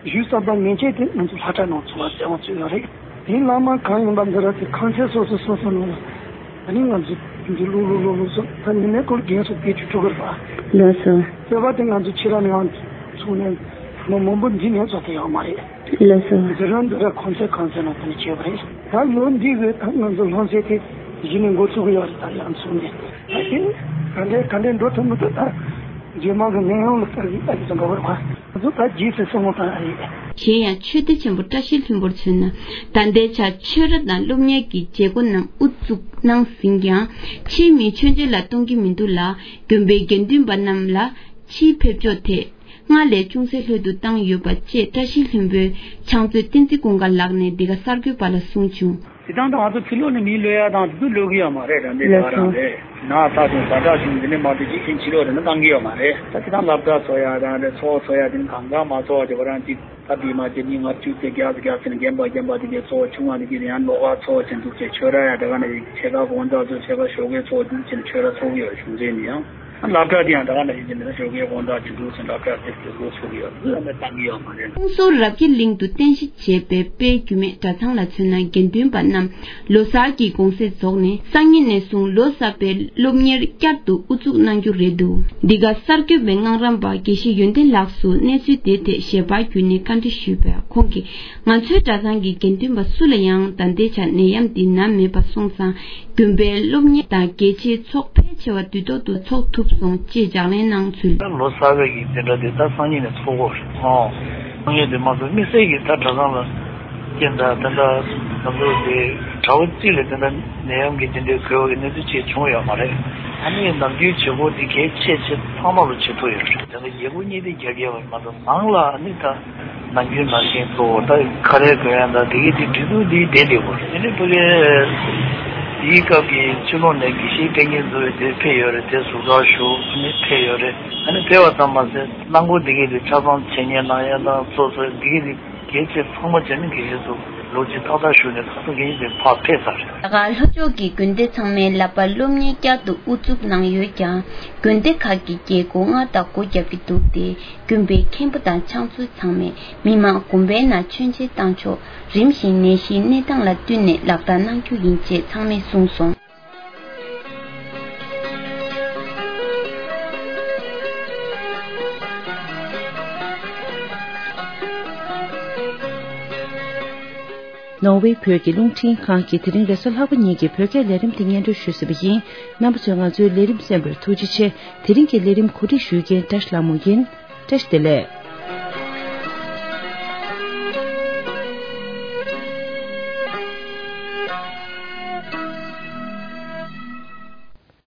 ཞུས་བསམ་པ་ངན་ཆད་དེ་ང་ཚོ་ལྷ་གྲྭ་ནང་ཚོ་བ་བཙན་དབང་བཙུགས་ཡོད་རེད། དེ་བླ་མ་གང་ཡིན་པ་འདི་ར་དེ་ཁང་ཚན་སོ་སོ་སོ་སོ་ནང་ལ་ད་ནི་ང་ཚོ་འདི་ལུག་ལུག་ལུག་ལུག་སོ་ད་ཉི་མའི་སྐོར་རྒན་སོ་བེད་སྤྱོད་ཐུབ་ཀྱི་རེད་པ། ལགས་སོ། བསྟོད་པ་དེ་ང་ཚོ་ཕྱི་ར་ནས་ཡང་ཚུགས་ནས་ལོ་མང་པོ་འདི་ནས་ཚོ་དེ་ཡོད་མ་རེད། ལགས་སོ། འདི་རང་འདི་ར་ཁང་ཚན་ཁང་ཚན་ནང་དེ་ནས་བྱས་པ་རེད། ད་ལོ་འདི་བས་ད་ང་ཚོ་ལྷུང་ཚད་དེ་གཞི་ནས་འགོ་ཚུགས་ཀྱི་ཡོད་རེད། ད་ཡང་ཚུགས་ནས་ད་དེ་ག་འདྲས་ག་འདྲས་འགྲོ་ཐུབ་མི་ཐུབ་ད་རྗེས་མ་གི་ནད་ཡམས་ལ་ལྟ་གི་ལྟ་གི་ཙམ་འགྲོ་བར་ག་ང་ཚོ་ད་རྗེས་སུ་སོང་བ་དང་ཨ་ཡེ། གཞན་ཡང་ཆོས་སྡེ་ཆེན་པོ་བཀྲ་ཤིས་ལྷུན་པོར་མཚོན་ན། ད་ལྟའི་ཆར་ཆོས་ར་དང་སློབ་གཉེར་གྱི་བྱེད་སྒོ་རྣམས་དབུ་བཙུགས་གནང་ཟིན་ཀྱང་། ཕྱིའི་མིས་མཆོད་མཇལ་ལ་གཏོང་གི་མི་འདུག་ལ། དགོན་པའི་དགེ་འདུན་པ་རྣམས་ལ་ཕྱིའི་ཕེབས་ཕྱོགས་ཐད་སྔར་ལས་ཅུང་ཟད་ལྷོད་དུ་བཏང་ཡོད་པ་བཅས་བཀྲ་ཤིས་ལྷུན་པོའི་ཕྱག་མཛོད་བསྟན་འཛིན་ཀུན་དགའ་ལགས་ནས་འདི་ག་གསར་འགོད་པ་ལ་གསུངས་བྱུང་། དེ་དང་དུ་ང་ཚོ་ཕྱི་ལོགས་ནས་མི་གློད་ཡ་དང་དེ་ཚོ་གློད་ཀྱི་ཡོད་མ་རེད། རང་འདི་ལགས་སོ། རང་རེད། ན་ཚ་བྱུང་ཟ་འཕྲུག་བྱུང་འདི་ནས་མ་གཏོགས་ཅིག་ཕྱིན་ཕྱི་ལོགས་རེ་ན་བཏང་གི་ཡོད་མ་རེད། ད་དེ་དང་སློབ་གྲྭ་ཚོགས་ཡ་དང་རེད། ཚོགས་ཚོགས་ཡ་དེ་ནི་གང་གང་མ་ཚོགས་བྱེད་པ་རང་ཅིག་ད་དེ་མ་བྱེད་ནི་ང་བཅུ་ཚེ་བརྒྱ་ཚེ་བརྒྱ་ཚེ་ནི་རྒན་པ་རྒན་པ་དེ་གའི་ཚོགས་ཆུང་བ་དེ་གའི་ཡང་ལོག་ག་ཚོགས་བྱེད་འདུག་ཅེས་ཆོས་ར་ཡ་དེ་ག་ནས་ཡིག་ཆེ་ག་དགོང་དག་ཚོ་ཆེ་ག་ཞོགས་ཀའི་ཚོགས་འདུག་ཅེས་ནི་ཆོས་ར་ཚོགས་ཀྱི་ཡོད་བྱུང་ཚེ་ནི་ཡང་། སློབ་གྲྭ་དེ་ཡང་ད་ག་ནང་བཞིན་དེ་ནས་ཞོགས་ཀའི་དགོང་དག་ཆུ་འགྲོ་ཚུན་སློབ་གྲྭ་དེ་དུ་འགོ་ཚུགས་ཡོད་ཟེར་ནས་བཏང་གི་ཡོད་མ་རེད། ཀོང་སོ་རབ་རྒྱས་གླིང་དུ་རྟེན་གཞི་བྱས་པའི་དཔལ་རྒྱུད་སྨད་གྲྭ་ཚང་ལ་མཚོན་ན། དགེ་འདུན་པ་རྣམས་ལོ་གསར་གྱི་གུང་སེང་རྫོགས་ནས་སང་ཉིན་ནས་བཟུང་ལོ་གསར་པའི་སློབ་གཉེར་བསྐྱར་དུ་དབུ་འཛུགས་གནང་རྒྱུ་རེད་འདུག་འདི་ག་གསར་འགོད་པས་སྔགས་རམས་པ་དགེ་བཤེས་ཡོན་ཏན་ལགས་སུ་གནས་ཚུལ་དེའི་ཐད་ཞལ་པར་བརྒྱུད་ནས་བཀའ་འདྲི་ཞུས་པས། ཁོང་གིས་ང་ཚོའི་གྲྭ་ཚང་གི་དགེ་འདུན་པ་སུ་ལ་ཡང་ད་ལྟའི་ཆར་ནད་ཡམས་འདི་ན་མེད་པ་སོང་ཙང་། དགོན་པའི་སློབ་གཉེར་དང་གལ་ཆེའི་ཚོགས་ཕལ་ཆེ་བ་དུས་ཐོག་ཏུ་ཚོགས་ཐུབ་སོང་ཅེས་ལྗགས་ལན་གནང་ཚུལ། ད་ལོ་གསར་པའི་གི་དེ་འདྲ་དེ་ད་སང་ཉིན་ནས་ཚོགས་དགོས་རེད། ཨོ། སང་ཉིན་དེ་མ་ཚོགས་དམིགས་བསལ་གྱི་ད་གྲྭ་ཚང་ལ་རྐྱེན་ད་དེ་འདྲ་ང་ཚོ་དེ་གྲྭ་བ་གཅིག་ལ་དེ་འདྲ་ནད་ཡམས་ཀྱི་དེ་འདྲའི་འགོས་པ་གི་གནས་ཚུལ་ཅིག་བྱུང་ཡོད་མ་རེད། ཨ་ནི་ནམ་རྒྱུན་བྱེད་སྒོ་དེ་གལ་ཆེ་ཆེ་ཚང་མ་ལ་བྱེད་ཐུབ་ཡོད་རེད། དེ་འདྲ་ཡག་པོ་གཉིས་དེ་རྒྱབ་ཡོད་པ་མ་གཏོགས་ནང་ལ་ཨ་ནི་ད། ནམ་རྒྱུན་ནང་བཞིན་གཙོ་བོ་ད་ཁ་རས་གོན་ཡ་ད་དེ་གི་དེ་འདྲི་འདུག་དེའི་བསྡད་དེ་བོ་དེ་ནི་ཕ་གི་དེའི་སྐབས་ཀྱི་ཕྱི་ལོགས་ནས་དགེ་བཤེས་སྐད་གཉེར་བཟོ་བའི་དེ་ཕེབས་ཡོད་རེད། དེ་ཟུར་བཀག་ཞུ་ནི་ཕེབས་ཡོད་རེད། ཨ་ནི་ཕེབས་པ་ཙམ་མ་ཟད་གླང་མགོ་དེ་གི་དེ་ཆ་ཚང་འཆད་ཉན་གནང་ཡ་དང་སོ་སོའི་དེ་གི་དེ་གལ་ཆེ་ཚང་མ་བྱས་ནས་དགེ་བཤེས་ཚོ་ལོ་གཅིག་ཏག་ཏག་བཞུགས་ནས་ད་ལྟ་དགེ་བཤེས་དེ་ཕར་ཕེབས་ཚར་རེད། རྒྱ་གར་ལྷོ་ཕྱོགས་ཀྱི་དགོན་སྡེ་ཚང་མའི་བསླབ་པ་སློབ་གཉེར་བསྐྱར་དུ་དབུ་འཛུགས་གནང་ཡོད་ཀྱང་དགོན་སྡེ་ཁག་གི་རྒྱལ་སྒོ་སྔར་ལྟར་སྒོ་བརྒྱབ་ཀྱི་འདུག་སྟེ། དགོན་པའི་མཁན་པོ་དང་ཕྱག་མཛོད་ཚང་མས་མི་མང་དགོན་པའི་ནང་མཆོད་མཇལ་བཏང་ཆོག་རིམ་བཞིན་ནད་གཞིའི་གནས་སྟངས་ལ་བསྟུན་ནས་ལག་བསྟར་གནང་རྒྱུ་ཡིན་ཅེས་ཚང་མས་གསུངས་སོང་། ནོར་ཝེ་བོད་ཀྱི་རླུང་འཕྲིན་ཁང་གིས་དེ་རིང་རེས་གཟའ་ལྷག་པ་ཉིན་གྱི་བོད་སྐད་ལས་རིམ་དེ་སྙན་སྒྲོན་ཞུས་ཟིན་པ་ཡིན། རྣམ་པ་ཚོས་ང་ཚོའི་ལས་རིམ་གསན་པར་ཐུགས་རྗེ་ཆེ། དེ་རིང་གི་ལས་རིམ་གོ་སྒྲིག་ཞུ་མཁན་བཀྲ་ཤིས་ལྷ་མོ་ཡིན། བཀྲ་ཤིས་བདེ་ལེགས།